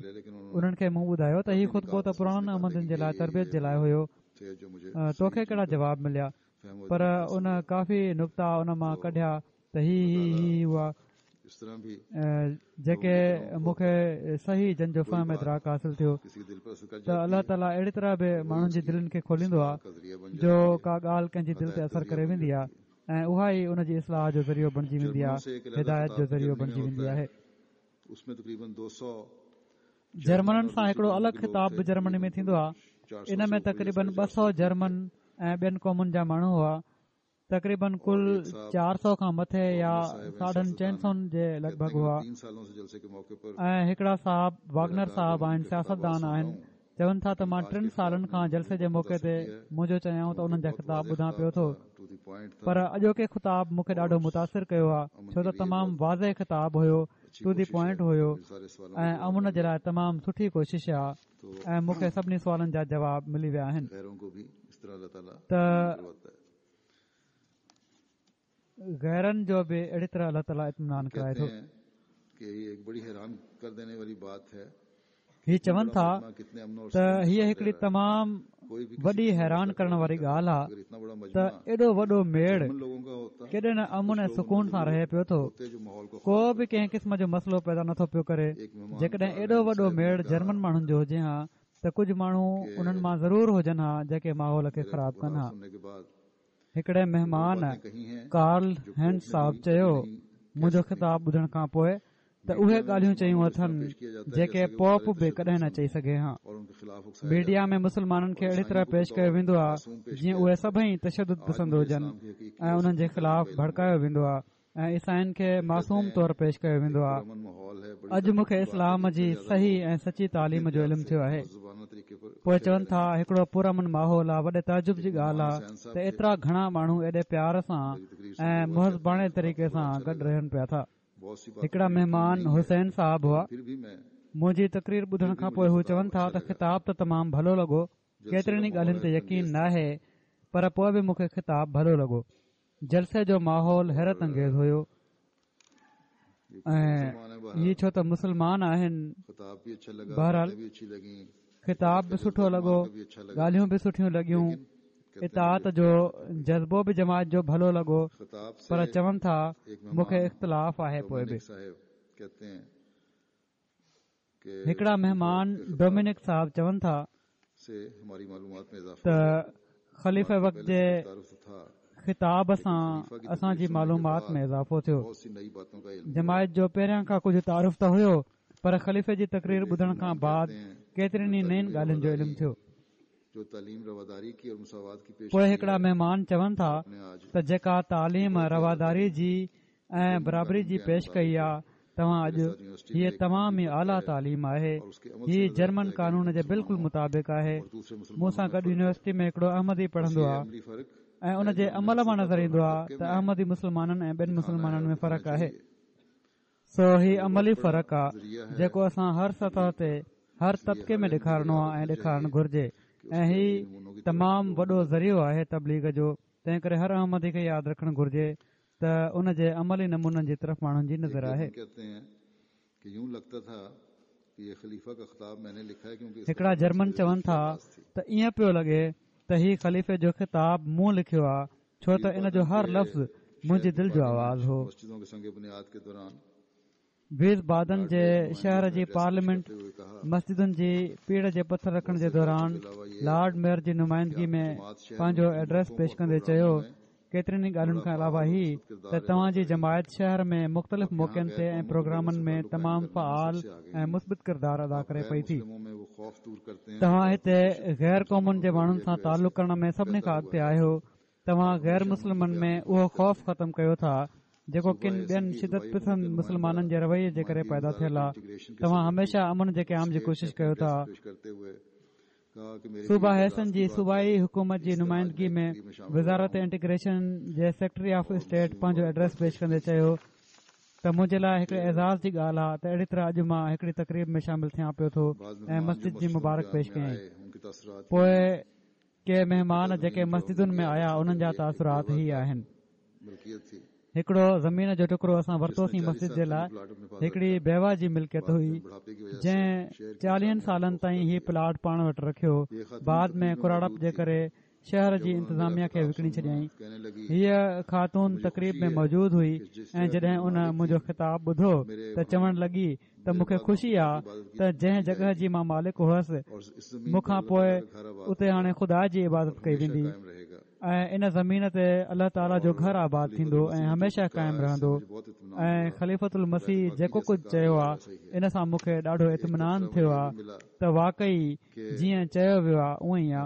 انهن کي مون ٻڌايو ته هي خطبو ته پراڻن احمدين جي لاء تربيت جي لاء هيو، توکي ڪهڙا جواب مليا؟ پر ان ڪافي نڪتا ان مان ڪڍيا ته هي هي هي هي هئا جيڪي مون کي صحيح جن جو فهم ادراڪ حاصل ٿيو ته الله تعاليٰ اهڙي طرح به ماڻهن جي دلين کي کوليندو آهي جو ڪا ڳالهه ڪنهن جي دل تي اثر ڪري ويندي آهي ۽ اها ئي ان جي اصلاح جو ذريعو بڻجي ويندي آهي هدايت جو ذريعو بڻجي ويندي آهي. جرمنن سان هڪڙو الڳ خطاب به جرمني ۾ ٿيندو آهي. ان ۾ تقريبن 200 جرمن ۽ ٻين قومن جا ماڻهو هئا. تقريبن ڪل 400 کان مٿي يا ساڍن چئن سون جي لڳ ڀڳ هئا ۽ هڪڙا صاحب واگنر صاحب آهن سياستدان آهن چون ٿا ته مان ٽن سالن کان جلسي جي موقعي تي منهنجو چيائون ته انهن جا خطاب ٻڌان پيو ٿو پر اڄوڪي خطاب مون کي ڏاڍو متاثر ڪيو آهي ڇو ته تمام واضح خطاب هيو ٽو the point هيو ۽ امن جي لاء تمام سٺي ڪوشش آهي ۽ مون کي سڀني سوالن جا جواب ملي ويا آهن ته غيرن جو به اهڙي طرح الله تعاليٰ اطمينان ڪرائي ٿو. هي چون ٿا ته هيء هڪڙي تمام وڏي حيران ڪرڻ واري ڳالهه آهي ته ايڏو وڏو ميڙ ڪيڏي نه امن ۽ سڪون سان رهي پيو ٿو ڪو به ڪنهن قسم جو مسئلو پيدا نٿو پيو ڪري جيڪڏهن ايڏو وڏو ميڙ جرمن ماڻهن جو هجي ها ته ڪجهه ماڻهو انهن مان ضرور هجن ها جيڪي ماحول کي خراب ڪن ها. هڪڙي مهمان ڪارل هينز صاحب چيو، منهنجو خطاب ٻڌڻ کان پوء ته اهي ڳالهيون چيون اٿن جيڪي پوپ به ڪڏهن نه چئي سگهي ها. ميڊيا ۾ مسلمانن کي اهڙي طرح پيش ڪيو ويندو آهي جيئن اهي سڀئي تشدد پسند هجن ۽ انهن جي خلاف ڀڙڪايو ويندو آهي. ۽ عيسائين کي معصوم طور پيش ڪيو ويندو آهي. اڄ مون کي اسلام جي صحيح ۽ سچي تعليم جو علم ٿيو آهي. پوء چون ٿا هڪڙو پرامن ماحول آهي وڏي تعجب جي ڳالهه آهي ته ايترا گهڻا ماڻهو ايڏي پيار سان ۽ مهذباڻي طريقي سان گڏ رهن پيا ٿا. هڪڙا مهمان حسين صاحب هئا. منهنجي تقرير ٻڌڻ کان پوء هو چون ٿا ته خطاب ته تمام ڀلو لڳو ڪيترين ئي ڳالهين تي يقين ناهي پر پوء به مون کي خطاب ڀلو لڳو. جلسي جو ماحول حيرت انگيز هيو ۽ هي ڇو ته مسلمان آهن بهرحال خطاب به سٺو لڳو ڳالهيون به سٺيون لڳيون اطاعت جو جذبو به جماعت جو ڀلو لڳو پر چون ٿا مون کي اختلاف آهي پوء به هڪڙا مهمان ڊومينڪ صاحب چون ٿا ته خليفه وقت جي خطاب سان اسان جي معلومات ۾ اضافو ٿيو جماعت جو پهريان کان ڪجهه تعارف ته هيو پر خليفي جي تقرير ٻڌڻ کان بعد ڪيترين ئي نين ڳالهين جو علم ٿيو پوء هڪڙا مهمان چون ٿا ته جيڪا تعليم رواداري جي ۽ برابري جي پيش ڪئي آ توهان اڄ هيء تمام ئي اعليٰ تعليم آهي هي جرمن قانون جي بلڪل مطابق آهي مون سان گڏ يونيورسٽي ۾ هڪڙو احمدي پڙهندو آ ۽ ان جي عمل مان نظر ايندو آ ته احمدي مسلمانن ۽ ٻين مسلمانن ۾ فرق آهي سو هي عملي فرق آ جيڪو اسان هر سطح تي هر طبقي ۾ ڏيکارڻو آ ۽ ڏيکارڻ گهرجي ۽ هي تمام وڏو ذريعو آهي تبليغ جو تنهن ڪري هر احمدي کي ياد رکڻ گهرجي ته ان جي عملي نمونن جي طرف ماڻهن جي نظر آهي. هڪڙا جرمن چون ٿا ته ائين پيو لڳي ته هي خليفي جو خطاب مون لکيو آ ڇو ته ان جو هر لفظ منهنجي دل جو آواز هو. ويز بادن جي شهر جي پارليامينٽ مسجدن جي پيڙهه جي پٿر رکڻ جي دوران لارڊ ميئر جي نمائندگي ۾ پنهنجو ايڊريس پيش ڪندي چيو، ڪيترين ئي ڳالهين کان علاوه هي ته توهان جي جماعت شهر ۾ مختلف موقعن تي ۽ پروگرامن ۾ تمام فعال ۽ مثبت ڪردار ادا ڪري پئي ٿي. توهان هتي غير قومن جي ماڻهن سان تعلق ڪرڻ ۾ سڀني کان اڳتي آهيو. توهان غير مسلمن ۾ اهو خوف ختم ڪيو ٿا جيڪو ڪن ٻين شدت پسند مسلمانن جي رويي جي ڪري پيدا ٿيل آهي. توهان هميشه امن جي قيام جي ڪوشش ڪيو ٿا. صوبه هيسن جي صوبائي حڪومت جي نمائندگي ۾ وزارت انٽيگريشن جي سيڪريٽري آف اسٽيٽ پنهنجو ايڊريس پيش ڪندي چيو ته منهنجي لاء هڪڙي اعزاز جي ڳالهه آهي ته اهڙي طرح اڄ مان هڪڙي تقريب ۾ شامل ٿيان پيو ٿو ۽ مسجد جي مبارڪ پيش ڪيائين. پوء ڪي مهمان جيڪي مسجدن ۾ آيا انهن جا تاثرات هي آهن. هڪڙو زمين جو ٽڪرو اسان ورتوسين مسجد جي لاء هڪڙي بيوه جي ملڪيت هئي جنهن چاليهن سالن تائين هي پلاٽ پاڻ وٽ رکيو بعد ۾ ڪراڙپ جي ڪري شهر جي انتظاميه کي وڪڻي ڇڏيائين هيء خاتون تقريب ۾ موجود هئي ۽ جڏهن ان منهنجو خطاب ٻڌو ته چوڻ لڳي ته مون کي خوشي آ ته جنهن جڳهه جي مان مالڪ هئس مون کان پوء اتي هاڻي خدا جي عبادت ڪئي ويندي ۽ ان زمين تي الله تعاليٰ جو گهر آباد ٿيندو ۽ هميشه قائم رهندو ۽ خليفة المسيح جيڪو ڪجهه چيو آ ان سان مون کي ڏاڍو اطمينان ٿيو آ ته واقعي جيئن چيو ويو آ اونئن ئي آ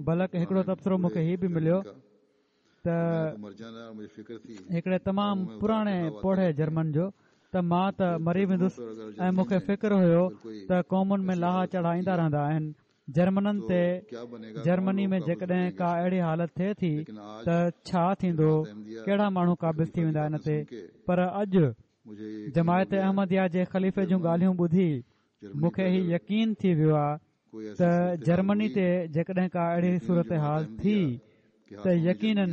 بلڪ هڪڙو تبصرو مون کي هي به مليو ته هڪڙي تمام پراڻي پوڙهي جرمن جو ته مان ته مري ويندس ۽ مون کي فڪر هيو ته قومن ۾ لاها چاڙها ايندا رهندا آهن جرمنن تي جرمني ۾ جيڪڏهن ڪا اهڙي حالت ٿئي ٿي ته ڇا ٿيندو ڪهڙا ماڻهو قابض ٿي ويندا ان تي پر اڄ جماعت احمديه جي خليفي جون ڳالهيون ٻڌي مون کي هي يقين ٿي ويو آهي ته جرمني تي جيڪڏهن ڪا اهڙي صورتحال ٿي ته يقينن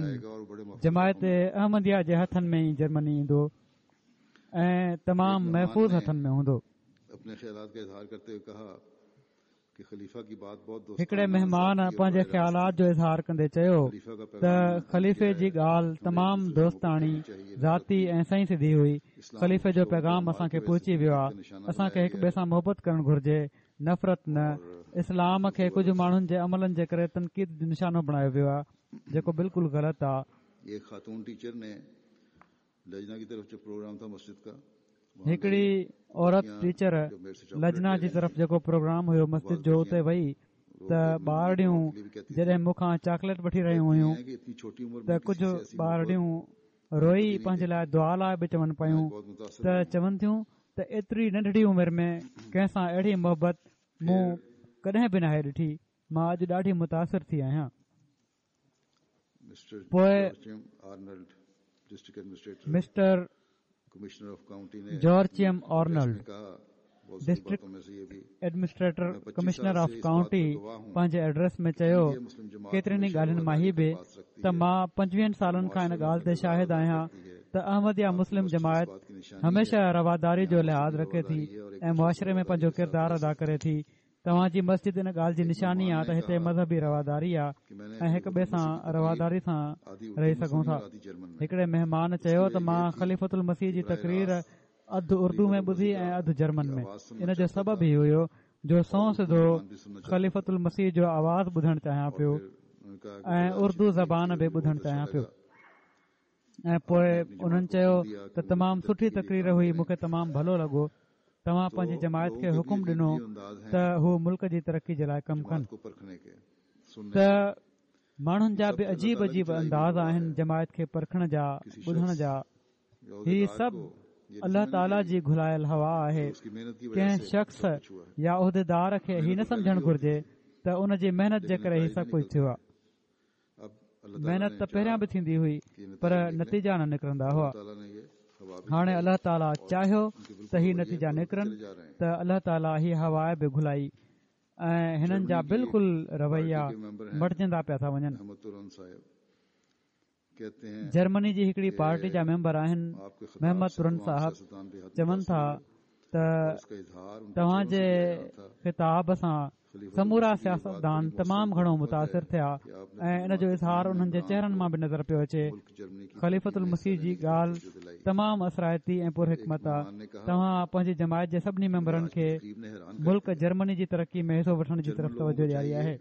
جماعت احمديه جي هٿن ۾ ئي جرمني ايندو ۽ تمام محفوظ هٿن ۾ هوندو. هڪڙي مهمان پنهنجي خيالات جو اظهار ڪندي چيو ته خليفي جي ڳالهه تمام دوستاڻي، ذاتي ۽ سنئين سڌي هئي. خليفي جو پيغام اسان کي پهچي ويو آهي. اسان کي هڪ ٻئي سان محبت ڪرڻ گهرجي، نفرت نه. اسلام کي ڪجهه ماڻهن جي عملن جي ڪري تنقيد جو نشانو بڻايو ويو آهي، جيڪو بلڪل غلط آهي. هڪڙي عورت ٽيچر لجنا جي طرف جيڪو پروگرام هيو مسجد جو اتي وئي ته ٻارڙيون جڏهن مون کان چاڪليٽ وٺي رهيون هيون ته ڪجهه ٻارڙيون روئي پنهنجي لاء دعا لاء به چون پيون ته چون ٿيون ته ايتري ننڍڙي عمر ۾ ڪنهن سان اهڙي محبت مون ڪڏهن به ناهي ڏٺي مان اڄ ڏاڍي متاثر ٿي آهيان. پوء mister Joachim Arnold, district administrator commissioner of county پنهنجي ايڊريس ۾ چيو، ڪيترين ئي ڳالهين مان هي به ته مان پنجويهن سالن کان ان ڳالهه تي شاهد آهيان ته احمديه مسلم جماعت هميشه رواداري جو لحاظ رکي ٿي ۽ معاشري ۾ پنهنجو ڪردار ادا ڪري ٿي توهان جي مسجد ان ڳالهه جي نشاني آ ته هتي مذهبي رواداري آ ۽ هڪ ٻئي سان رواداري سان رهي سگهون ٿا. هڪڙي مهمان چيو ته مان خليفة المسيح جي تقرير اڌ اردو ۾ ٻڌي ۽ اڌ جرمن ۾. ان جو سبب هي هيو جو سنئون سڌو خليفة المسيح جو آواز ٻڌڻ چاهيان پيو ۽ اردو زبان به ٻڌڻ چاهيان پيو. ۽ پوء انهن چيو ته تمام سٺي تقرير هئي مون کي تمام ڀلو لڳو توهان پنهنجي جماعت کي حڪم ڏنو ته هو ملڪ جي ترقي جي لاء ڪم ڪن ته ماڻهن جا به عجيب عجيب انداز آهن جماعت کي پرکڻ جا ٻڌڻ جا هي سڀ الله تعاليٰ جي گهلايل هوا آهي ڪنهن شخص يا عهديدار کي هي نه سمجهڻ گهرجي ته ان جي محنت جي ڪري هي سڀ ڪجهه ٿيو آهي محنت ته پهريان به ٿيندي هئي پر نتيجا نه نڪرندا هئا هاڻي الله تعاليٰ چاهيو ته هي نتيجا نڪرن ته الله تعاليٰ هي هوا به گهلائي ۽ هنن جا بلڪل رويا مٽجندا پيا ٿا وڃن جرمني جي هڪڙي پارٽي جا ميمبر آهن محمد ترن صاحب چون ٿا ته توهان جي خطاب سان سمورا سياستدان تمام گهڻو متاثر ٿيا ۽ ان جو اظهار انهن جي چهرن مان به نظر پيو اچي. خليفة المسيح جي ڳالهه تمام اثرائتي ۽ پرحڪمت آ. توهان پنهنجي جماعت جي سڀني ميمبرن کي ملڪ جرمني جي ترقي ۾ حصو وٺڻ جي طرف توجهه ڏياري آهي.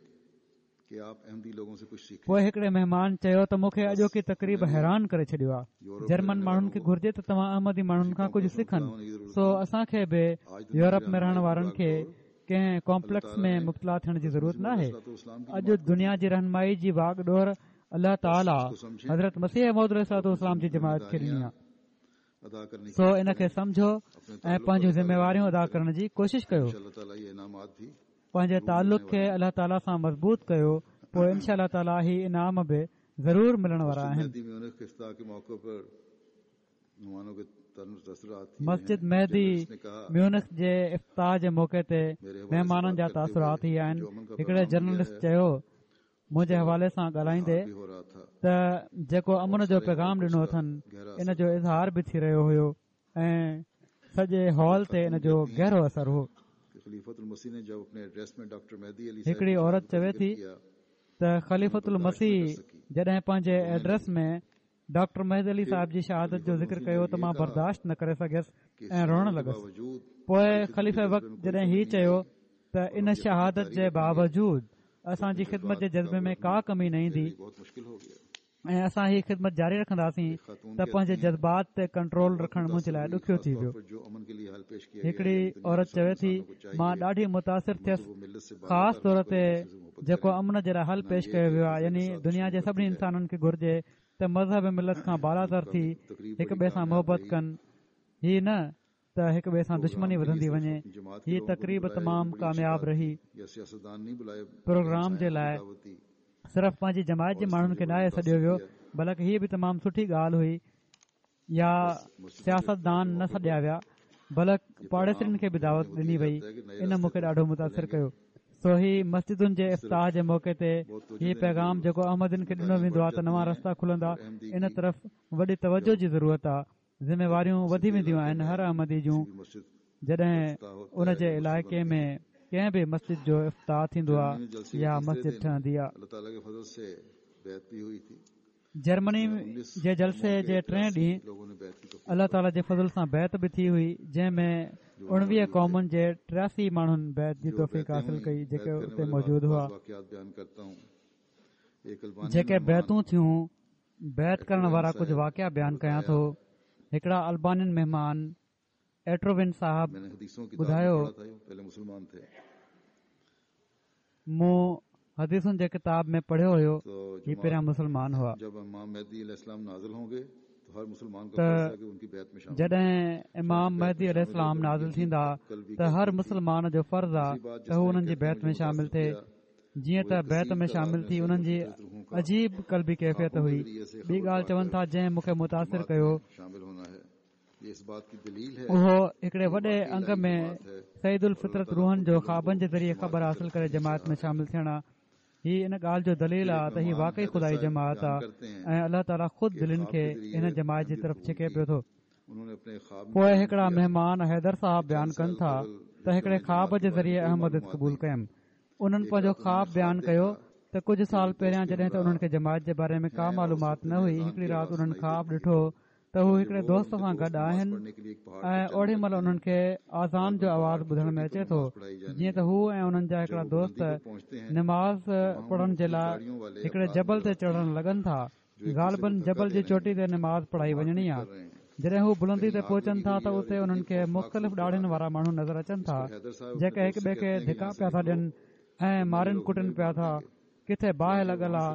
پوء هڪڙي مهمان چيو ته مون کي اڄوڪي تقريب حيران ڪري ڇڏيو آهي. جرمن ماڻهن کي گهرجي ته توهان احمدي ماڻهن کان ڪجهه سکن. سو اسان کي به يورپ ۾ رهڻ وارن کي ڪنهن ڪامپليڪس ۾ مبتلا ٿيڻ جي ضرورت ناهي. اڄ دنيا جي رهنمائي جي واڳ ڏور الله تعاليٰ حضرت مسيح موعود عليه الصلوة والسلام جي جماعت کي ڏني آهي. سو ان کي سمجهو ۽ پنهنجون ذميواريون ادا ڪرڻ جي ڪوشش ڪيو. پنهنجي تعلق کي الله تعاليٰ سان مضبوط ڪيو پوء انشاء الله تعاليٰ هي انعام به ضرور ملڻ وارا آهن. مسجد مهدي ميونخ جي افتتاح جي موقعي تي مهمانن جا تاثرات هي آهن هڪڙي جرنلسٽ چيو منهنجي حوالي سان ڳالهائيندي ته جيڪو امن جو پيغام ڏنو اٿن ان جو اظهار به ٿي رهيو هيو ۽ سڄي هال تي ان جو گهرو اثر هو. هڪڙي عورت چوي ٿي ته خليفة المسيح جڏهن پنهنجي ايڊريس ۾ ڊاڪٽر مهدي علي صاحب جي شهادت جو ذڪر ڪيو ته مان برداشت نه ڪري سگهيس ۽ روئڻ لڳس. پوء خليفه وقت جڏهن هي چيو ته ان شهادت جي باوجود اسان جي خدمت جي جذبي ۾ ڪا ڪمي نه ايندي ۽ اسان هي خدمت جاري رکنداسين ته پنهنجي جذبات تي ڪنٽرول رکڻ منهنجي لاء ڏکيو ٿي ويو. هڪڙي عورت چوي ٿي مان ڏاڍي متاثر ٿيس خاص طور تي جيڪو امن جي لاء حل پيش ڪيو ويو آهي يعني دنيا جي سڀني انسانن کي گهرجي ته مذهب ملت کان بالاتر ٿي هڪ ٻئي سان محبت ڪن هي نه ته هڪ ٻئي سان دشمني وڌندي وڃي هي تقريب تمام ڪامياب رهي پروگرام جي لاء صرف پنهنجي جماعت جي ماڻهن کي ناهي سڏيو ويو بلڪ هيء به تمام سٺي ڳالهه هئي يا سياستدان نه سڏيا ويا بلڪ پاڙيسرين کي به دعوت ڏني وئي ان مون کي ڏاڍو متاثر ڪيو سو هي مسجدن جي افتتاح جي موقعي تي هي پيغام جيڪو احمدين کي ڏنو ويندو آهي ته نوان رستا کلندا ان طرف وڏي توجه جي ضرورت آهي ذميواريون وڌي وينديون آهن هر احمدي جون جڏهن ان جي علائقي ۾ ڪنهن به مسجد جو افتتاح ٿيندو آهي يا مسجد ٺهندي آهي. جرمني جي جلسي جي ٽئين ڏينهن الله تعالي جي فضل سان بيعت به ٿي هئي جنهن ۾ 19 قومن جي 83 ماڻهن بيعت جي توفيق حاصل ڪئي جيڪي اتي موجود هئا. جيڪي بيعتون ٿيون بيعت ڪرڻ وارا ڪجهه واقعا بيان ڪيان ٿو. هڪڙا البانين مهمان ايٽروين صاحب ٻڌايو، مون حديثن جي ڪتاب ۾ پڙهيو هيو، هي پهريان مسلمان هئا، ته جڏهن امام مهدي عليه السلام نازل ٿيندا ته هر مسلمان جو فرض آ ته هو انهن جي بيعت ۾ شامل ٿئي. جيئن ته بيعت ۾ شامل ٿي انهن جي عجيب قلبي ڪيفيت هئي. ٻي ڳالهه چون ٿا جنهن مون کي متاثر ڪيو اهو هڪڙي وڏي انگ ۾ سعيد الفطرت روحن جو خوابن جي ذريعي خبر حاصل ڪري جماعت ۾ شامل ٿيڻ آ. هي ان ڳالهه جو دليل آ ته هي واقعي خدائي جماعت آ ۽ الله تعاليٰ خود دلين کي هن جماعت جي طرف ڇڪي پيو ٿو. پوء هڪڙا مهمان حيدر صاحب بيان ڪن ٿا ته هڪڙي خواب جي ذريعي احمديت قبول ڪيم. انهن پنهنجو خواب بيان ڪيو ته ڪجهه سال پهريان جڏهن ته انهن کي جماعت جي باري ۾ ڪا معلومات نه هئي هڪڙي رات انهن خواب ڏٺو ته هو هڪڙي دوست سان گڏ آهن ۽ اوڏي مهل انهن کي آذان جو آواز ٻڌڻ ۾ اچي ٿو جيئن ته هو ۽ انهن جا هڪڙا دوست نماز پڙهڻ جي لاء هڪڙي جبل تي چڙهڻ لڳن ٿا غالباً جبل جي چوٽي تي نماز پڙهائي وڃڻي آ. جڏهن هو بلندي تي پهچن ٿا ته اتي انهن کي مختلف ڏاڙهين وارا ماڻهو نظر اچن ٿا، جيڪي هڪ ٻئي کي ڌڪا پيا ٿا ڏين ۽ مارين ڪٽن پيا ٿا. ڪٿي باهه لڳل آ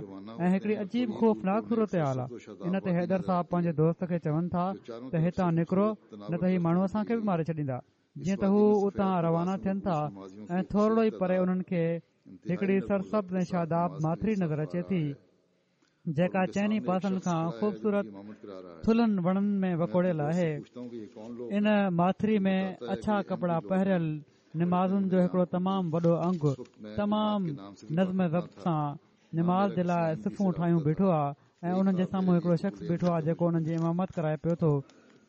۽ هڪڙي عجيب خوفناڪ صورتحال آ. ان تي حيدر صاحب پنهنجي دوست کي چون ٿا ته هتان نڪرو نه ته هي ماڻهو اسان کي به ماري ڇڏيندا. جيئن ته هو اتان روانا ٿين ٿا ۽ ٿورڙو ئي پري انهن کي هڪڙي سرسبز ۽ شاداب ماٿري نظر اچي ٿي. جيڪا چئني پاسن کان خوبصورت ٿلهن وڻن ۾ وڪوڙيل آهي. ان ماٿري ۾ اڇا ڪپڙا پهريل نمازين جو هڪڙو تمام وڏو انگ تمام نظم و ضبط سان نماز جي لاء صفون ٺاهيون بيٺو آهي ۽ انهن جي سامهون هڪڙو شخص بيٺو آهي جيڪو انهن جي امامت ڪرائي پيو ٿو.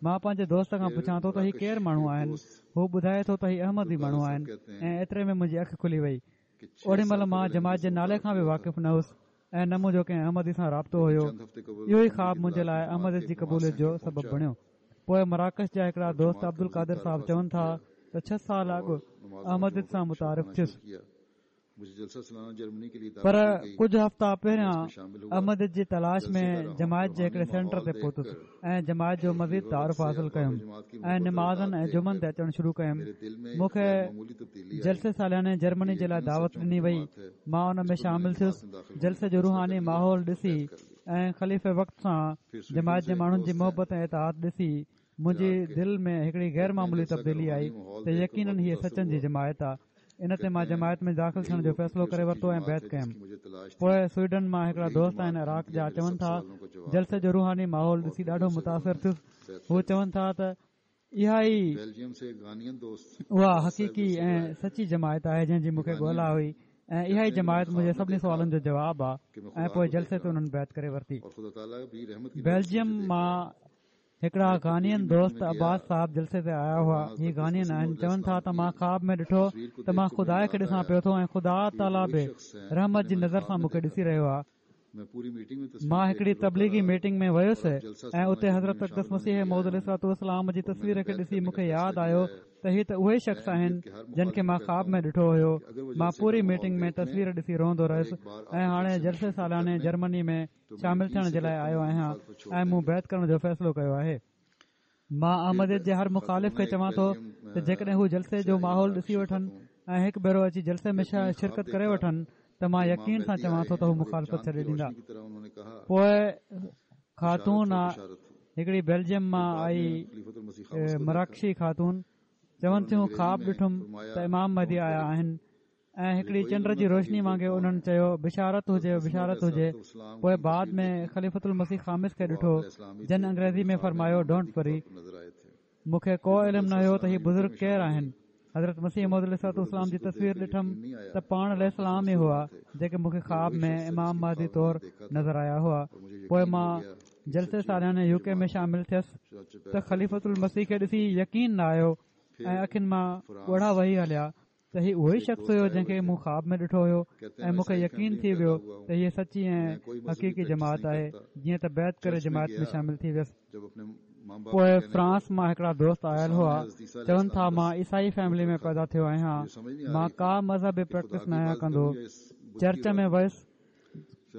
مان پنهنجي دوست کان پڇان ٿو ته هي ڪير ماڻهو آهن؟ هو ٻڌائي ٿو ته هي احمدي ماڻهو آهن ۽ ايتري ۾ منهنجي اک کلي وئي. اوڏي مهل مان جماعت جي نالي کان به واقف نه هوس ۽ نه منهنجو ڪنهن احمدي سان رابطو هيو. اهو ئي خواب منهنجي لاء احمديت جي قبوليت جو سبب بڻيو. پوء مراڪش جا هڪڙا دوست عبدالقادر صاحب چون ٿا ته ڇهه سال اڳ احمديت سان متعارف ٿيس. پر ڪجهه هفتا پهريان احمديت جي تلاش ۾ جماعت جي هڪڙي سينٽر تي پهتس ۽ جماعت جو مزيد تعارف حاصل ڪيم ۽ نمازن ۽ جمعن تي اچڻ شروع ڪيم. مون کي جلسي سالياني جرمني جي لاء دعوت ڏني وئي. مان ان ۾ شامل ٿيس. جلسي جو روحاني ماحول ڏسي ۽ خليفي وقت سان جماعت جي ماڻهن جي محبت ۽ اطاعت ڏسي منهنجي دل ۾ هڪڙي غير معمولي تبديلي آئي ته يقينن هيء سچن جي جماعت آ. ان تي مان جماعت ۾ داخل ٿيڻ جو فيصلو ڪري ورتو ۽ بيعت ڪيم. پوء سوئيڊن مان هڪڙا دوست آهن عراق جا چون ٿا جلسي جو روحاني ماحول ڏسي ڏاڍو متاثر ٿيس هو چون ٿا ته اها ئي اها حقيقي ۽ سچي جماعت آهي جنهن جي مون کي ڳولا هئي ۽ اها ئي جماعت منهنجي سڀني سوالن جو جواب آهي ۽ پوء جلسي تي انهن بيعت ڪري ورتي. بيلجيم مان هڪڙا غانين دوست عباس صاحب جلسي تي آيا هئا هي غانين آهن چون ٿا ته مان خواب ۾ ڏٺو ته مان خدا کي ڏسان پيو ٿو ۽ خدا تعاليٰ به رحمت جي نظر سان مون کي ڏسي رهيو آهي مان هڪڙي تبليغي ميٽنگ ۾ ويس ۽ اتي حضرت اقدس مسيح موعود عليه الصلوة والسلام جي تصوير کي ڏسي مون کي ياد آيو ته هي ته اهي شخص آهن جن کي مان خواب ۾ ڏٺو هيو مان پوري ميٽنگ ۾ تصوير ڏسي روئندو رهيس ۽ هاڻي جلسي سالياني جرمني ۾ شامل ٿيڻ جي لاء آيو آهيان ۽ مون بيعت ڪرڻ جو فيصلو ڪيو آهي. مان احمديت جي هر مخالف کي چوان ٿو ته جيڪڏهن هو جلسي جو ماحول ڏسي وٺن ۽ هڪ ڀيرو اچي جلسي ۾ شرڪت ڪري وٺن ته مان يقين سان چوان ٿو ته هو مخالفت ڇڏي ڏيندا. پوء خاتون آ هڪڙي بيلجيم مان آئي مراڪشي خاتون چون ٿيون خواب ڏٺم ته امام مهدي آيا آهن ۽ هڪڙي چنڊ جي روشني وانگي انهن چيو بشارت هجي بشارت هجي پوء بعد ۾ خليفة المسيح خامس کي ڏٺو جن انگريزي ۾ فرمايو don't وري مون کي ڪو علم نه هيو ته هي بزرگ ڪير آهن حضرت مسيح موعود عليه الصلوة والسلام جي تصوير ڏٺم ته پاڻ عليه السلام ئي هئا جيڪي مون کي خواب ۾ امام مهدي طور نظر آيا هئا پوء مان جلسي سالياني يو ڪي ۾ شامل ٿيس ته خليفة المسيح کي ڏسي يقين نه آيو ۽ اکين مان ڳوڙها وهي هليا ته هي اهو ئي شخص هيو جنهن کي مون خواب ۾ ڏٺو هيو ۽ مون کي يقين ٿي ويو ته هيء سچي ۽ حقيقي جماعت آهي جيئن ته بيعت ڪري جماعت ۾ شامل ٿي ويس. پوء فرانس مان هڪڙا دوست آيل هئا چون ٿا مان عيسائي فيملي ۾ پيدا ٿيو آهيان مان ڪا مذهبي پريڪٽس ناهيان ڪندو چرچ ۾ ويس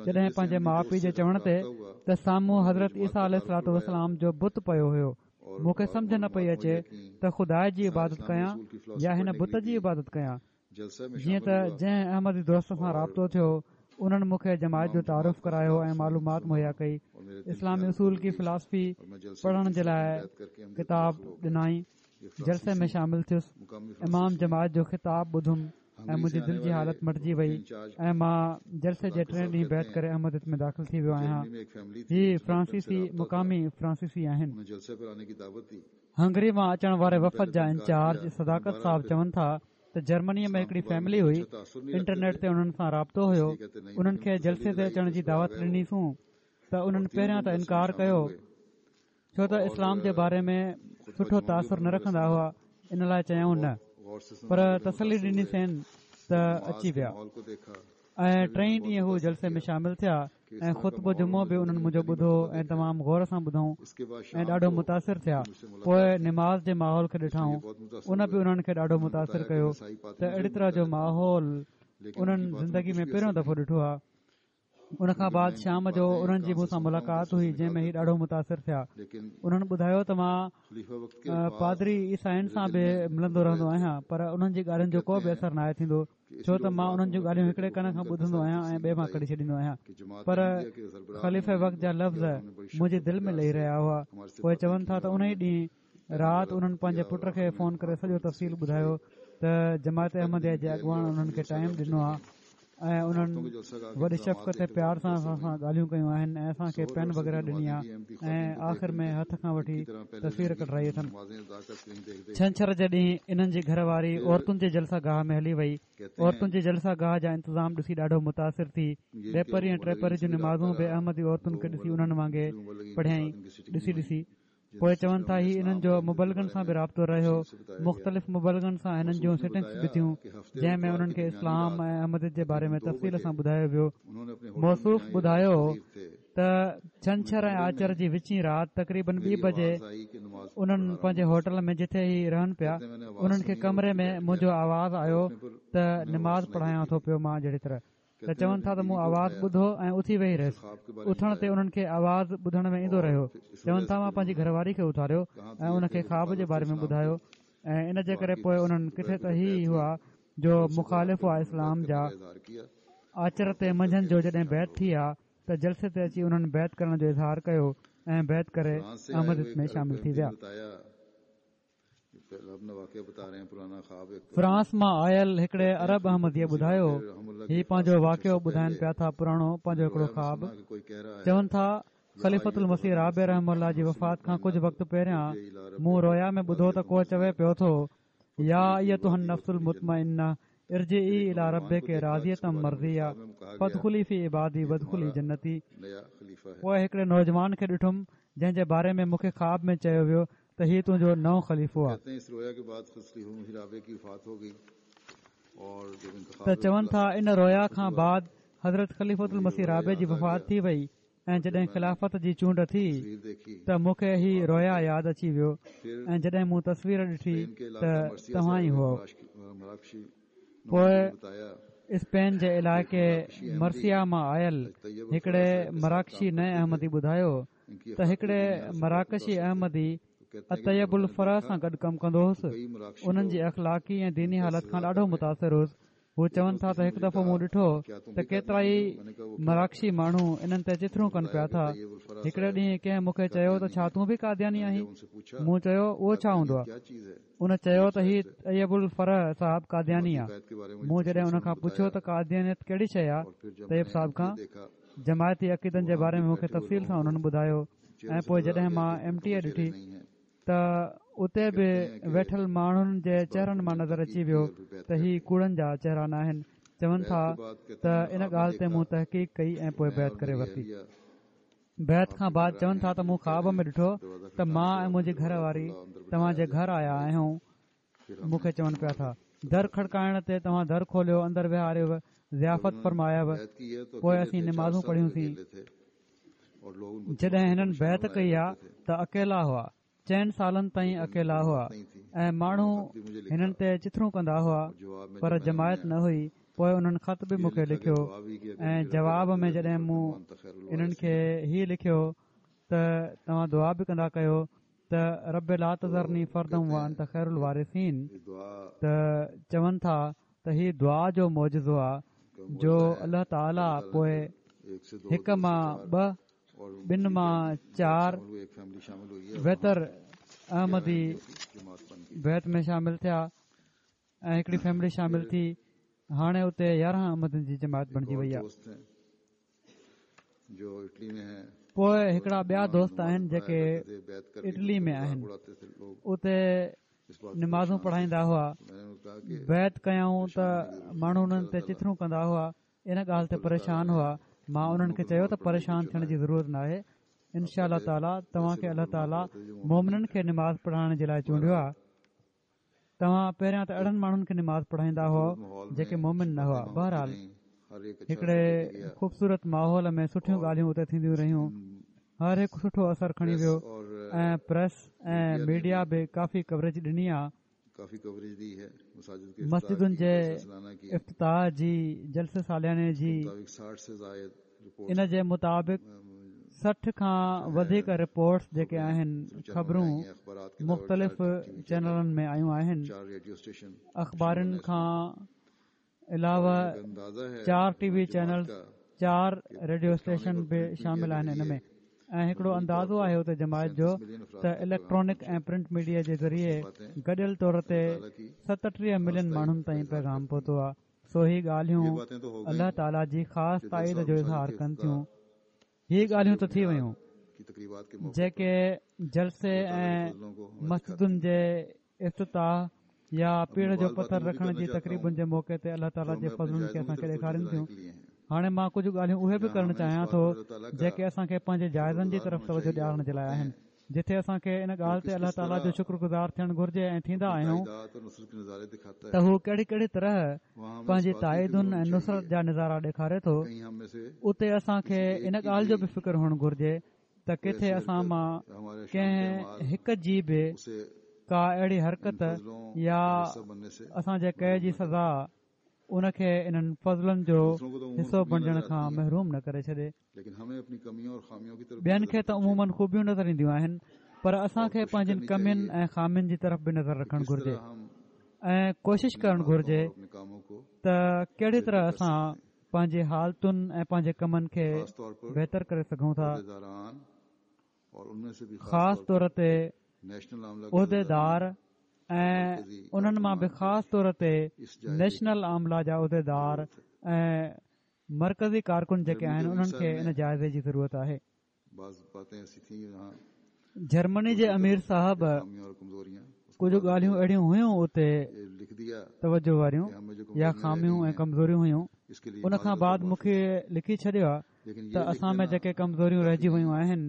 جڏهن پنهنجي ماء پيء جي چوڻ تي ته سامهون حضرت عيسيٰ عليه الصلوة والسلام جو بت پيو هيو مون کي سمجهه نه پئي اچي ته خدا جي عبادت ڪيان يا هن بت جي عبادت ڪيان. جيئن ته جنهن احمدي دوست سان رابطو ٿيو انهن مون کي جماعت جو تعارف ڪرايو ۽ معلومات مهيا ڪئي. اسلامي اصول ڪي فلاسفي پڙهڻ جي لاء ڪتاب ڏنائين. جلسي ۾ شامل ٿيس. امام جماعت جو خطاب ٻڌم. ۽ منهنجي دل جي حالت مٽجي وئي ۽ مان جلسي جي ٽئين ڏينهن بيعت ڪري احمديت ۾ داخل ٿي ويو آهيان. هي فرانسيسي مقامي فرانسيسي آهن. هنگري مان اچڻ واري وفد جا انچارج صداقت صاحب چون ٿا ته جرمنيء ۾ هڪڙي فيملي هئي، انٽرنيٽ تي انهن سان رابطو هيو، انهن کي جلسي تي اچڻ جي دعوت ڏنيسون ته انهن پهريان ته انڪار ڪيو، ڇو ته اسلام جي باري ۾ سٺو تاثر نه رکندا هئا ان لاء چيائون نه پر تسلي ڏنيسين ته اچي ويا ۽ ٽئين ڏينهن هو جلسي ۾ شامل ٿيا ۽ خطبو جمعو به انهن منهنجو ٻڌو ۽ تمام غور سان ٻڌائون ۽ ڏاڍو متاثر ٿيا پوء نماز جي ماحول کي ڏٺائون ان به انهن کي ڏاڍو متاثر ڪيو ته اهڙي طرح جو ماحول انهن زندگي ۾ پهريون دفعو ڏٺو آهي ان کان بعد شام جو انهن جي مون سان ملاقات هئي جنهن ۾ هي ڏاڍو متاثر ٿيا انهن ٻڌايو ته مان پادري عيسائين سان به ملندو رهندو آهيان پر انهن جي ڳالهين جو ڪو به اثر ناهي ٿيندو ڇو ته مان انهن جون ڳالهيون هڪڙي ڪن کان ٻڌندو آهيان ۽ ٻئي مان ڪڍي ڇڏيندو آهيان پر خليفه وقت جا لفظ منهنجي دل ۾ لهي رهيا هئا پوء چون ٿا ته ان ئي ڏينهن رات انهن پنهنجي پٽ کي فون ڪري سڄو تفصيل ٻڌايو ته جماعت احمديه جي اڳواڻ انهن کي ٽائيم ڏنو آهي ۽ انهن وڏي شفقت ۽ پيار سان اسان سان ڳالهيون ڪيون آهن ۽ اسان کي پين وغيره ڏني آهي ۽ آخر ۾ هٿ کان وٺي تصوير ڪڍرائي اٿن. ڇنڇر جي ڏينهن انهن جي گهر واري عورتن جي جلسه گاهه ۾ هلي وئي. عورتن جي جلسه گاهه جا انتظام ڏسي ڏاڍو متاثر ٿي. ٻپهري ۽ ٽپهري جون نمازون به احمدي عورتن کي ڏسي انهن وانگي پڙهيائين. ڏسي ڏسي. پوء چون ٿا هي انهن جو مبلغن سان به رابطو رهيو، مختلف مبلغن سان هنن جون سٽنگس به ٿيون، جنهن ۾ انهن کي اسلام ۽ احمديت جي باري ۾ تفصيل سان ٻڌايو ويو. موصوف ٻڌايو ته ڇنڇر ۽ آچر جي وچين رات تقريبن ٻي بجي انهن پنهنجي هوٽل ۾ جتي هي رهن پيا انهن کي ڪمري ۾ منهنجو آواز آيو ته نماز پڙهايان ٿو پيو مان جهڙي طرح ته چون ٿا ته مون آواز ٻڌو ۽ اٿي ويهي رهيس. اٿڻ تي انهن کي آواز ٻڌڻ ۾ ايندو رهيو. چون ٿا مان پنهنجي گهر واري کي اٿاريو ۽ ان کي خواب جي باري ۾ ٻڌايو ۽ ان جي ڪري پوء انهن ڪٿي ته هي هئا جو مخالف هئا اسلام جا. آچر تي منجهند جو جڏهن بيعت ٿي آ ته جلسي تي اچي انهن بيعت ڪرڻ جو اظهار ڪيو ۽ بيعت ڪري احمديت ۾ شامل ٿي ويا. فرانس مان آيل هڪڙي عرب احمديء ٻڌايو، هي پنهنجو واقعو ٻڌائن پيا ٿا پراڻو پنهنجو هڪڙو خواب چون ٿا خليفة المسيح رابع رحمه الله جي وفات کان ڪجهه وقت پهريان مون رويا ۾ ٻڌو ته ڪو چوي پيو ٿو يا ايتها النفس المطمئنه ارجعي الي ربڪ راضية مرضيه فادخلي في عبادي وادخلي جنتي پوء هڪڙي نوجوان کي ڏٺم جنهن جي باري ۾ مون کي خواب ۾ چيو ويو ته هي تنهنجو نئون خليفو آ. ته چون ٿا ان رويا کان بعد حضرت خليفة المسيح رابع جي وفات ٿي وئي ۽ جڏهن خلافت جي چونڊ ٿي ته مون کي هي رويا ياد اچي ويو ۽ جڏهن مون تصوير ڏٺي ته توهان ئي هئو. پوء اسپين جي علائقي مرسيا مان آيل هڪڙي مراڪشي نئين احمدي ٻڌايو ته هڪڙي مراڪشي احمدي الطيب الفرح سان گڏ ڪم ڪندو هوس انهن جي اخلاقي ۽ ديني حالت کان ڏاڍو متاثر هوس هو چون ٿا ته هڪ دفعو مون ڏٺو ته ڪيترائي مراڪشي ماڻهو انهن تي چٿرون ڪن پيا ٿا هڪڙي ڏينهن ڪنهن مون کي چيو ته ڇا تون به قادياني آهين مون چيو اهو ڇا هوندو آهي ان چيو ته هي طيب الفرح صاحب قادياني آهي مون جڏهن ان کان پڇيو ته قاديانيت ڪهڙي شيء آهي طيب صاحب کان جماعتي عقيدن جي باري ۾ مون کي تفصيل سان انهن ٻڌايو ۽ پوء جڏهن مان ايم ٽي اي ڏٺي ته اتي به ويٺل ماڻهن جي چهرن مان نظر اچي ويو ته هي ڪوڙن جا چهرا ناهن چون ٿا ته ان ڳالهه تي مون تحقيق ڪئي ۽ پوء بيعت ڪري ورتي بيعت کان بعد چون ٿا ته مون خواب ۾ ڏٺو ته مان ۽ منهنجي گهر واري توهان جي گهر آيا آهيون مون کي چون پيا ٿا در کڙڪائڻ تي توهان در کوليو اندر ويهاريو ضيافت فرمايو پوء اسين نمازون پڙهيونسين جڏهن هنن بيعت ڪئي آ ته اڪيلا هئا چئن سالن تائين اڪيلا هئا ۽ ماڻهو هنن تي چٿرون ڪندا هئا پر جماعت نه هئي پوء انهن خط به مون کي لکيو ۽ جواب ۾ جڏهن مون انهن کي هي لکيو ته توهان دعا به ڪندا ڪيو ته رب لا تذرني فردا وانت خير الوارثين ته چون ٿا ته هي دعا جو معجزو آ جو الله تعالي پوء هڪ مان ٻه ٻن مان چار ويتر احمدي بيعت ۾ شامل ٿيا ۽ هڪڙي فيملي شامل ٿي هاڻي اتي 11 احمدين جي جماعت بڻجي وئي آ. پوء هڪڙا ٻيا دوست آهن جيڪي اٽلي ۾ آهن اتي نمازون پڙهائيندا هئا بيعت ڪيائون ته ماڻهو انهن تي چٿرون ڪندا هئا ان ڳالهه تي پريشان هئا مان انهن کي چيو ته پريشان ٿيڻ جي ضرورت ناهي انشاء الله تعاليٰ توهان کي الله تعاليٰ مومنن کي نماز پڙهائڻ جي لاء چونڊيو آهي توهان پهريان ته اهڙن ماڻهن کي نماز پڙهائيندا هئا جيڪي مومن نه هئا بهرحال هڪڙي خوبصورت ماحول ۾ سٺيون ڳالهيون اتي ٿينديون رهيون هر هڪ سٺو اثر کڻي ويو ۽ پريس ۽ ميڊيا به ڪافي ڪوريج ڏني آ مسجدن جي افتتاح جي جلسي سالياني جي ان جي مطابق 60 کان وڌيڪ رپورٽس جيڪي آهن خبرون مختلف چينلن ۾ آيون آهن اخبارن کان علاوه چار ٽي وي چينلز چار ريڊيو اسٽيشن به شامل آهن ان ۾ ۽ هڪڙو اندازو آهي اتي جماعت جو ته اليڪٽرانڪ ۽ پرنٽ ميڊيا جي ذريعي گڏيل طور تي 37 ملين ماڻهن تائين پيغام پهتو آهي سو هي ڳالهيون الله تعاليٰ جي خاص تائيد جو اظهار ڪن ٿيون. هي ڳالهيون ته ٿي ويون جيڪي جلسي ۽ مسجدن جي افتتاح يا پيڙهه جو پٿر رکڻ جي تقريبن جي موقعي تي الله تعاليٰ جي فضلن کي اسان کي ڏيکارين ٿيون. هاڻي مان ڪجهه ڳالهيون اهي به ڪرڻ چاهيان ٿو جيڪي اسان کي پنهنجي جائزن جي طرف توجه ڏيارڻ جي لاء آهن. جتي اسان کي ان ڳالهه تي الله تعاليٰ جو شڪر گذار ٿيڻ گهرجي ۽ ٿيندا آهيون ته هو ڪهڙي ڪهڙي طرح پنهنجي تائيدن ۽ نصرت جا نظارا ڏيکاري ٿو، اتي اسان کي ان ڳالهه جو به فڪر هئڻ گهرجي ته ڪٿي اسان مان ڪنهن هڪ جي به ڪا اهڙي حرڪت يا اسان جي ڪئي جي سزا ان کي انهن فضلن جو حصو بڻجڻ کان محروم نه ڪري ڇڏي. ٻين کي ته عموماً خوبيون نظر اينديون آهن پر اسان کي پنهنجين ڪمين ۽ خامين جي طرف به نظر رکڻ گهرجي ۽ ڪوشش ڪرڻ گهرجي ته ڪهڙي طرح اسان پنهنجي حالتن ۽ پنهنجي ڪمن کي بهتر ڪري سگهون ٿا. خاص طور تي عهديدار ۽ انهن مان به خاص طور تي نيشنل عامله جا عهديدار ۽ مرڪزي ڪارڪن جيڪي آهن انهن کي ان جائزي جي ضرورت آهي. جرمني جي امير صاحب ڪجهه ڳالهيون اهڙيون هيون اتي توجه واريون يا خاميون ۽ ڪمزوريون هيون ان کان بعد مون کي لکي ڇڏيو آهي ته اسان ۾ جيڪي ڪمزوريون رهجي ويون آهن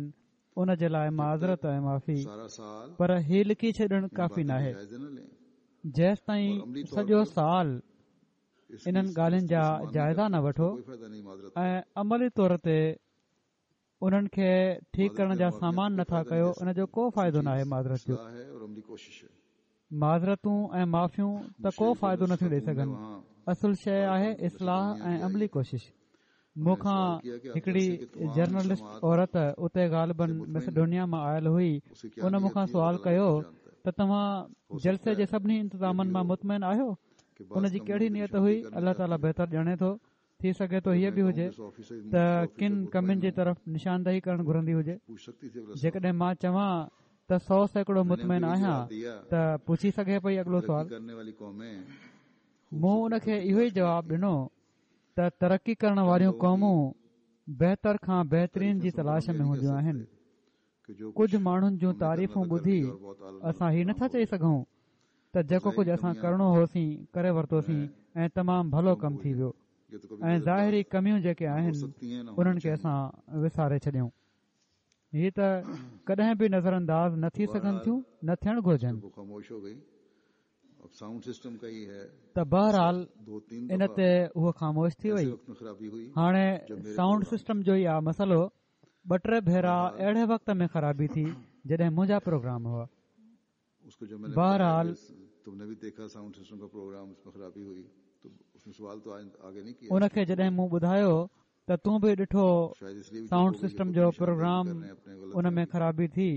ان جي لاء معذرت ۽ معافي پر هي لکي ڇڏڻ ڪافي ناهي جيستائين سڄو سال انهن ڳالهين جا جائزا نه وٺو ۽ عملي طور تي انهن کي ٺيڪ ڪرڻ جا سامان نٿا ڪيو ان جو ڪو فائدو ناهي معذرت جو معذرتون ۽ معافيون ته ڪو فائدو نٿيون ڏئي سگهن. اصل شيء آهي اصلاح ۽ عملي ڪوشش. مون کان هڪڙي جرنلسٽ عورت اتي غالباً ميسيڊونيا مان آيل هئي، ان مون کان سوال ڪيو ته توهان جلسي جي سڀني انتظامن مان مطمئن آهيو؟ ان جي ڪهڙي نيت هئي، الله تعاليٰ بهتر ڄاڻي ٿو. ٿي سگهي ٿو هيء به هجي ته ڪن ڪمين جي طرف نشاندهي ڪرڻ گهرندي هجي. جيڪڏهن مان چوان ته 100% مطمئن آهيان ته پڇي سگهي پئي اڳلو سوال. مون ان کي اهو ئي جواب ڏنو ته ترقي ڪرڻ واريون قومون بهتر کان بهترين جي تلاش ۾ هونديون آهن. ڪجهه ماڻهن جون تعريفون ٻڌي اسان هي نٿا چئي سگهون ته جيڪو ڪجهه اسان ڪرڻو هوسين ڪري ورتوسين ۽ تمام ڀلو ڪم ٿي ويو ۽ ظاهري ڪميون جيڪي آهن انهن کي اسان وساري ڇڏيون. هي ته ڪڏهن به نظر انداز نه ٿي سگهن ٿيون نه ٿيڻ گهرجن. ته بهرحال ان تي هوء خاموش ٿي وئي. هاڻي سائونڊ سسٽم جو ئي آ مسئلو. ٻه ٽي ڀيرا اهڙي وقت ۾ خرابي ٿي جڏهن منهنجا پروگرام هئا. بهرحال. ان کي جڏهن مون ٻڌايو ته تون به ڏٺو سائونڊ سسٽم جو پروگرام ان ۾ خرابي ٿي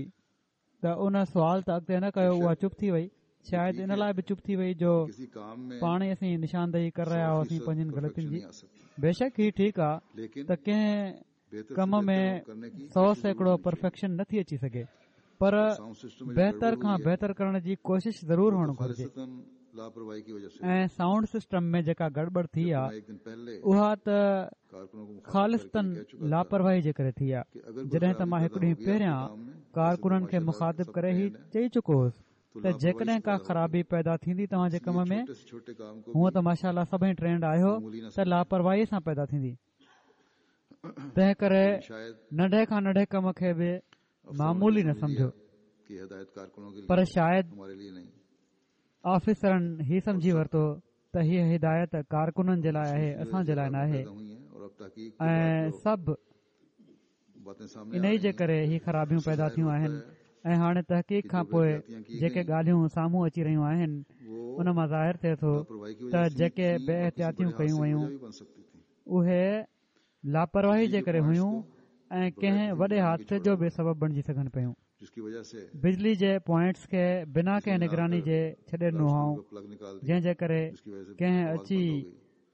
ته ان سوال ته اڳتي نه ڪيو اها چپ ٿي وئي شايد ان لاء به چپ ٿي وئي جو پاڻ ئي اسين نشاندهي ڪري رهيا هئاسين پنهنجين غلطين جي بيشڪ هي ٺيڪ آ ته ڪنهن ڪم ۾ 100% پرفيڪشن نه ٿي اچي سگهي پر بهتر کان بهتر ڪرڻ جي ڪوشش ضرور هئڻ گهرجي ۽ سائونڊ سسٽم ۾ جيڪا گڙٻڙ ٿي آ اها ته خالصتاً لاپرواهي جي ڪري ٿي آ جڏهن ته مان هڪ ڏينهن پهريان ڪارڪنن کي مخاطب ڪري هي چئي چڪو هوس ته جيڪڏهن ڪا خرابي پيدا ٿيندي توهان جي ڪم ۾ هونء ته ماشاء الله سڀئي ٽرينڊ آهيو ته لاپرواهي سان پيدا ٿيندي تنهن ڪري ننڍي کان ننڍي ڪم کي به معمولي نه سمجهو پر شايد آفيسرن هي سمجهي ورتو ته هيء هدايت ڪارڪنن جي لاء آهي اسان جي لاء ناهي ۽ سڀ انهي جي ڪري هي خرابيون پيدا ٿيون آهن ۽ هاڻي تحقيق کان پوء جيڪي ڳالهيون سامهون اچي رهيون آهن ان مان ظاهر ٿئي ٿو ته جيڪي بي احتياطيون ڪيون ويون اهي لاپرواهي جي ڪري هيون ۽ ڪنهن وڏي حادثي جو به سبب بڻجي سگهن پيون. بجلي جي پوائنٽس کي بنا ڪنهن نگراني جي ڇڏي ڏنو هئائون جنهن جي ڪري ڪنهن اچي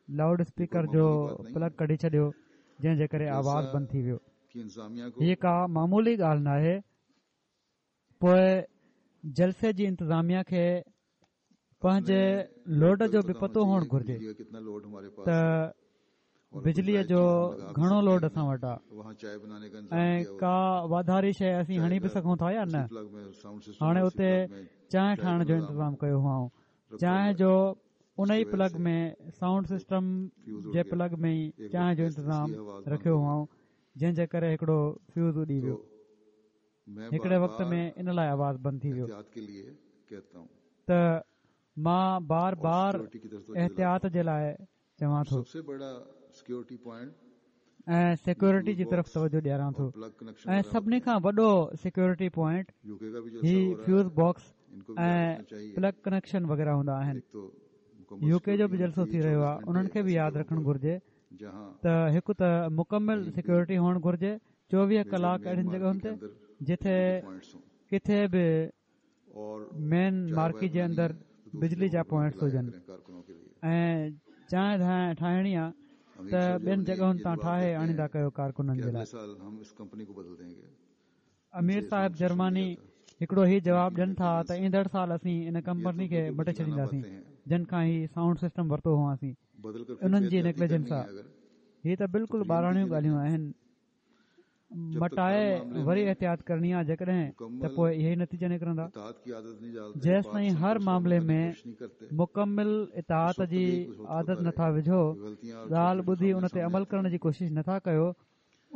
لائوڊ اسپيڪر جو پلگ ڪڍي ڇڏيو جنهن جي ڪري آواز بند ٿي ويو. هيء ڪا معمولي ڳالهه ناهي. پوء جلسي جي انتظاميا کي پنهنجي لوڊ جو به پتو هئڻ گهرجي ته بجليء جو گهڻو لوڊ اسان وٽ آهي ۽ ڪا واڌاري شيء اسين هڻي به سگهون ٿا يا نه. هاڻي اتي چانهه ٺاهڻ جو انتظام ڪيو هئائون. چانهه جو ان ئي پلگ ۾ سائونڊ سسٽم جي پلگ ۾ ئي چانهه جو انتظام رکيو هئائون جنهن جي ڪري هڪڙو فيوز اڏي ويو. هڪڙي وقت ۾ ان لاء آواز بند ٿي ويو ته مان بار بار احتياط جي لاء چوان ٿو ۽ سيڪيورٽي جي طرف توجه ڏياران ٿو ۽ سڀني کان وڏو سيڪيورٽي پوائنٽ هي فيوز باڪس ۽ پلگ ڪنيڪشن وغيره هوندا آهن. يو ڪي جو به جلسو ٿي رهيو آهي انهن کي به ياد رکڻ گهرجي ته هڪ ته مڪمل سيڪيورٽي هئڻ گهرجي چوويهه ڪلاڪ اهڙين جڳهن تي جتي ڪٿي به مين مارڪي جي اندر بجلي جا پوائنٽس هجن ۽ چانهه ڌانهه ٺاهڻي آ ته ٻين جڳهن تان ٺاهي آڻيندا ڪيو ڪارڪنن جي لاء. امير صاحب جرمني هڪڙو هي جواب ڏين ٿا ته ايندڙ سال اسين ان ڪمپني کي مٽي ڇڏينداسين جن کان هي سائونڊ سسٽم ورتو هئاسين انهن جي نيگليجنس آ هي ته بلڪل ٻاراڻيون ڳالهيون آهن مٽائي وري احتياط ڪرڻي آ جيڪڏهن ته پوء اهي ئي نتيجا نڪرندا. جيستائين هر معاملي ۾ مڪمل اطاعت جي عادت نٿا وجهو، ڳالهه ٻڌي ان تي عمل ڪرڻ جي ڪوشش نٿا ڪيو،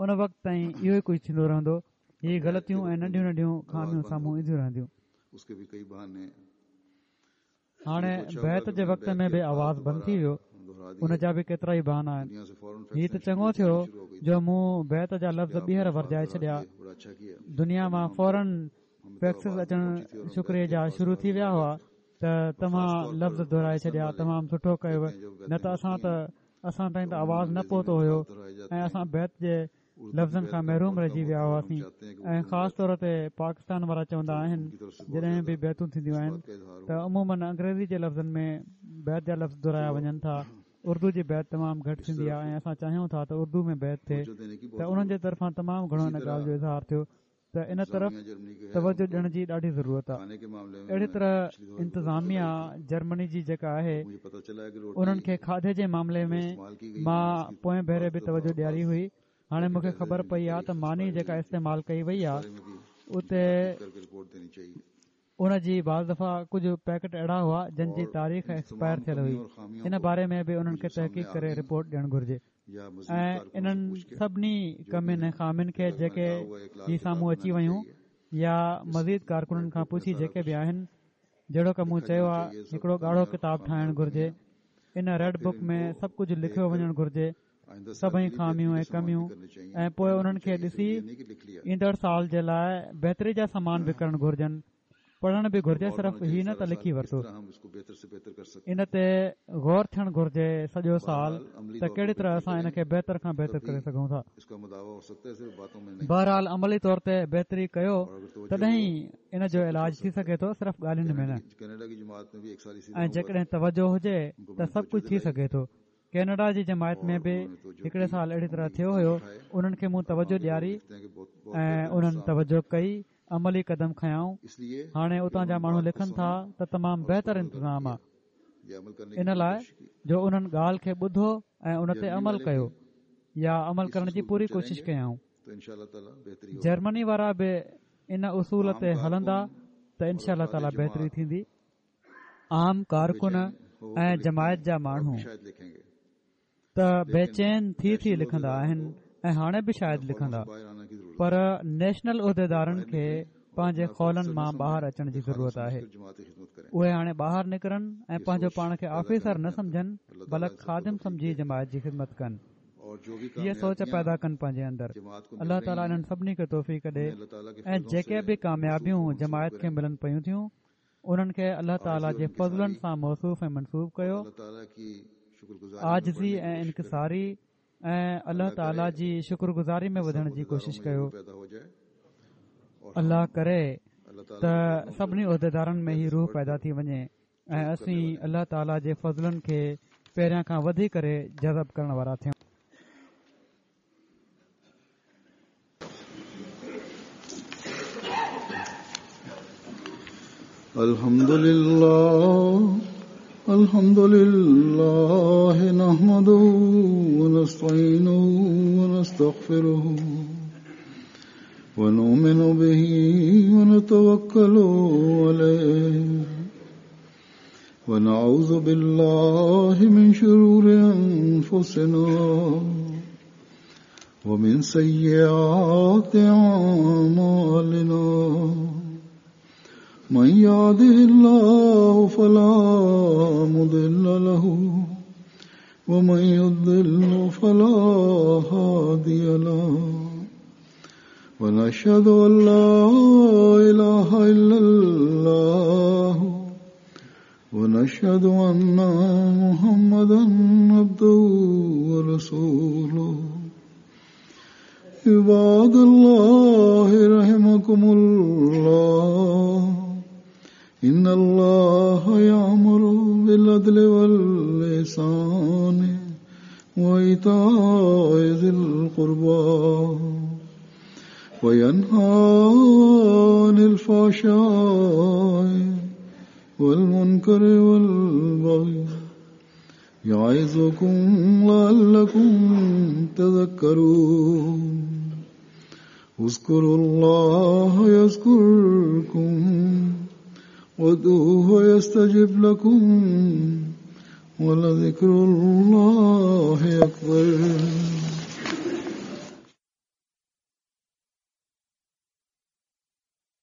ان وقت تائين اهو ئي ڪجهه ٿيندو رهندو، هي غلطيون ۽ ننڍيون ننڍيون خاميون سامهون اينديون رهنديون. هاڻي بيعت جي وقت ۾ به آواز بند ٿي ويو ان جا به ڪيترائي بهانا آهن هي ته چڱو ٿيو جو مون بيعت جا لفظ ٻيهر ورجائي ڇڏيا دنيا مان فورن فيڪسز اچڻ شڪريي جا شروع ٿي ويا هئا ته توهان لفظ دهرائي ڇڏيا تمام سٺو ڪيو نه ته اسان ته اسان تائين ته آواز نه پهتو هيو ۽ اسان بيعت جي لفظن کان محروم رهجي ويا هئاسين ۽ خاص طور تي پاڪستان وارا چوندا آهن جڏهن به بيعتون ٿينديون آهن ته عموماً انگريزي جي لفظن ۾ بيعت جا لفظ دهرايا وڃن ٿا اردو جي بيعت تمام گهٽ ٿيندي آهي ۽ اسان چاهيون ٿا ته اردو ۾ بيعت ٿئي ته انهن جي طرفان تمام گهڻو ان ڳالهه جو اظهار ٿيو ته ان طرف توجه ڏيڻ جي ڏاڍي ضرورت آهي. اهڙي طرح انتظاميا جرمني جي جيڪا آهي انهن کي کاڌي جي معاملي ۾ مان پوئين ڀيري به توجه ڏياري هئي هاڻي مون کي خبر پئي آهي ته ماني جيڪا استعمال ڪئي وئي آهي اتي ان جي بعض دفعا ڪجهه پيڪٽ اهڙا هئا جن جي تاريخ ايڪسپائر ٿيل هئي ان باري ۾ به انهن کي تحقيق ڪري رپورٽ ڏيڻ گهرجي ۽ انهن سڀني ڪمين ۽ خامين کي جيڪي هي سامهون اچي ويون يا مزيد ڪارڪنن کان پڇي جيڪي به آهن جهڙوڪ مون چيو آهي هڪڙو ڳاڙهو ڪتاب ٺاهڻ گهرجي ان ريڊ بڪ ۾ سڀ ڪجهه لکيو وڃڻ گهرجي سڀئي خاميون ۽ ڪميون ۽ پوء انهن کي ڏسي ايندڙ سال جي لاء بهتري جا سامان به ڪرڻ گهرجن پڙهڻ به گهرجي صرف هي نه ته لکي ورتو ان تي غور ٿيڻ گهرجي سڄو سال ته ڪهڙي طرح اسان ان کي بهتر کان بهتر ڪري سگهون ٿا بهرحال عملي طور تي بهتري ڪيو تڏهن ئي ان جو علاج ٿي سگهي ٿو صرف ڳالهين ۾ نه ۽ جيڪڏهن توجه هجي ته سڀ ڪجهه ٿي سگهي ٿو ڪينيڊا جي جماعت ۾ به هڪڙي سال اهڙي طرح ٿيو هيو انهن کي مون توجه ڏياري ۽ انهن توجه ڪئي عملي قدم کنيائون هاڻي اتان جا ماڻهو لکن ٿا ته تمام بهتر انتظام آ ان لاء جو انهن ڳالهه کي ٻڌو ۽ ان تي عمل ڪيو يا عمل ڪرڻ جي پوري ڪوشش ڪيائون جرمني وارا به ان اصول تي هلندا ته انشاء الله تعالي بهتري ٿيندي عام ڪارڪن ۽ جماعت جا ماڻهو ته بيچين ٿي ٿي لکندا آهن ۽ هاڻي به شايد لکندا پر نيشنل عهديدارن کي پنهنجي خولن مان ٻاهر اچڻ جي ضرورت آهي اهي هاڻي ٻاهر نڪرن ۽ پنهنجو پاڻ کي آفيسر نه سمجهن بلڪ خادم سمجهي جماعت جي خدمت ڪن هيء سوچ پيدا ڪن پنهنجي اندر الله تعاليٰ انهن سڀني کي توفيق ڏي ۽ جيڪي به ڪاميابيون جماعت کي ملن پيون ٿيون انهن کي الله تعالي جي فضلن سان موصوف ۽ منسوب ڪيو. عاجزي ۽ انڪساري ۽ الله تعالي جي شڪر گذاري ۾ وڌڻ جي ڪوشش ڪيو. الله ڪري ته سڀني عهديدارن ۾ هي روح پيدا ٿي وڃي ۽ اسين الله تعالي جي فضلن کي پهريان کان وڌي ڪري جذب ڪرڻ وارا ٿيون. الحمد لله الحمد لله نحمده ونستعينه ونستغفره ونؤمن به ونتوكل عليه ونعوذ بالله من شرور أنفسنا ومن سيئات أعمالنا. من يهده الله فلا مضل له ومن يضلل فلا هادي له ونشهد أن لا إله إلا الله ونشهد أن محمدا عبده ورسوله. عباد الله رحمكم الله، إن الله يأمر بالعدل والإحسان وإيتاء ذي القربى وينهى عن الفحشاء والمنكر والبغي يعظكم لعلكم تذكرون. اذكروا الله يذكركم وادعوه يستجب لكم ولذكر الله أكبر.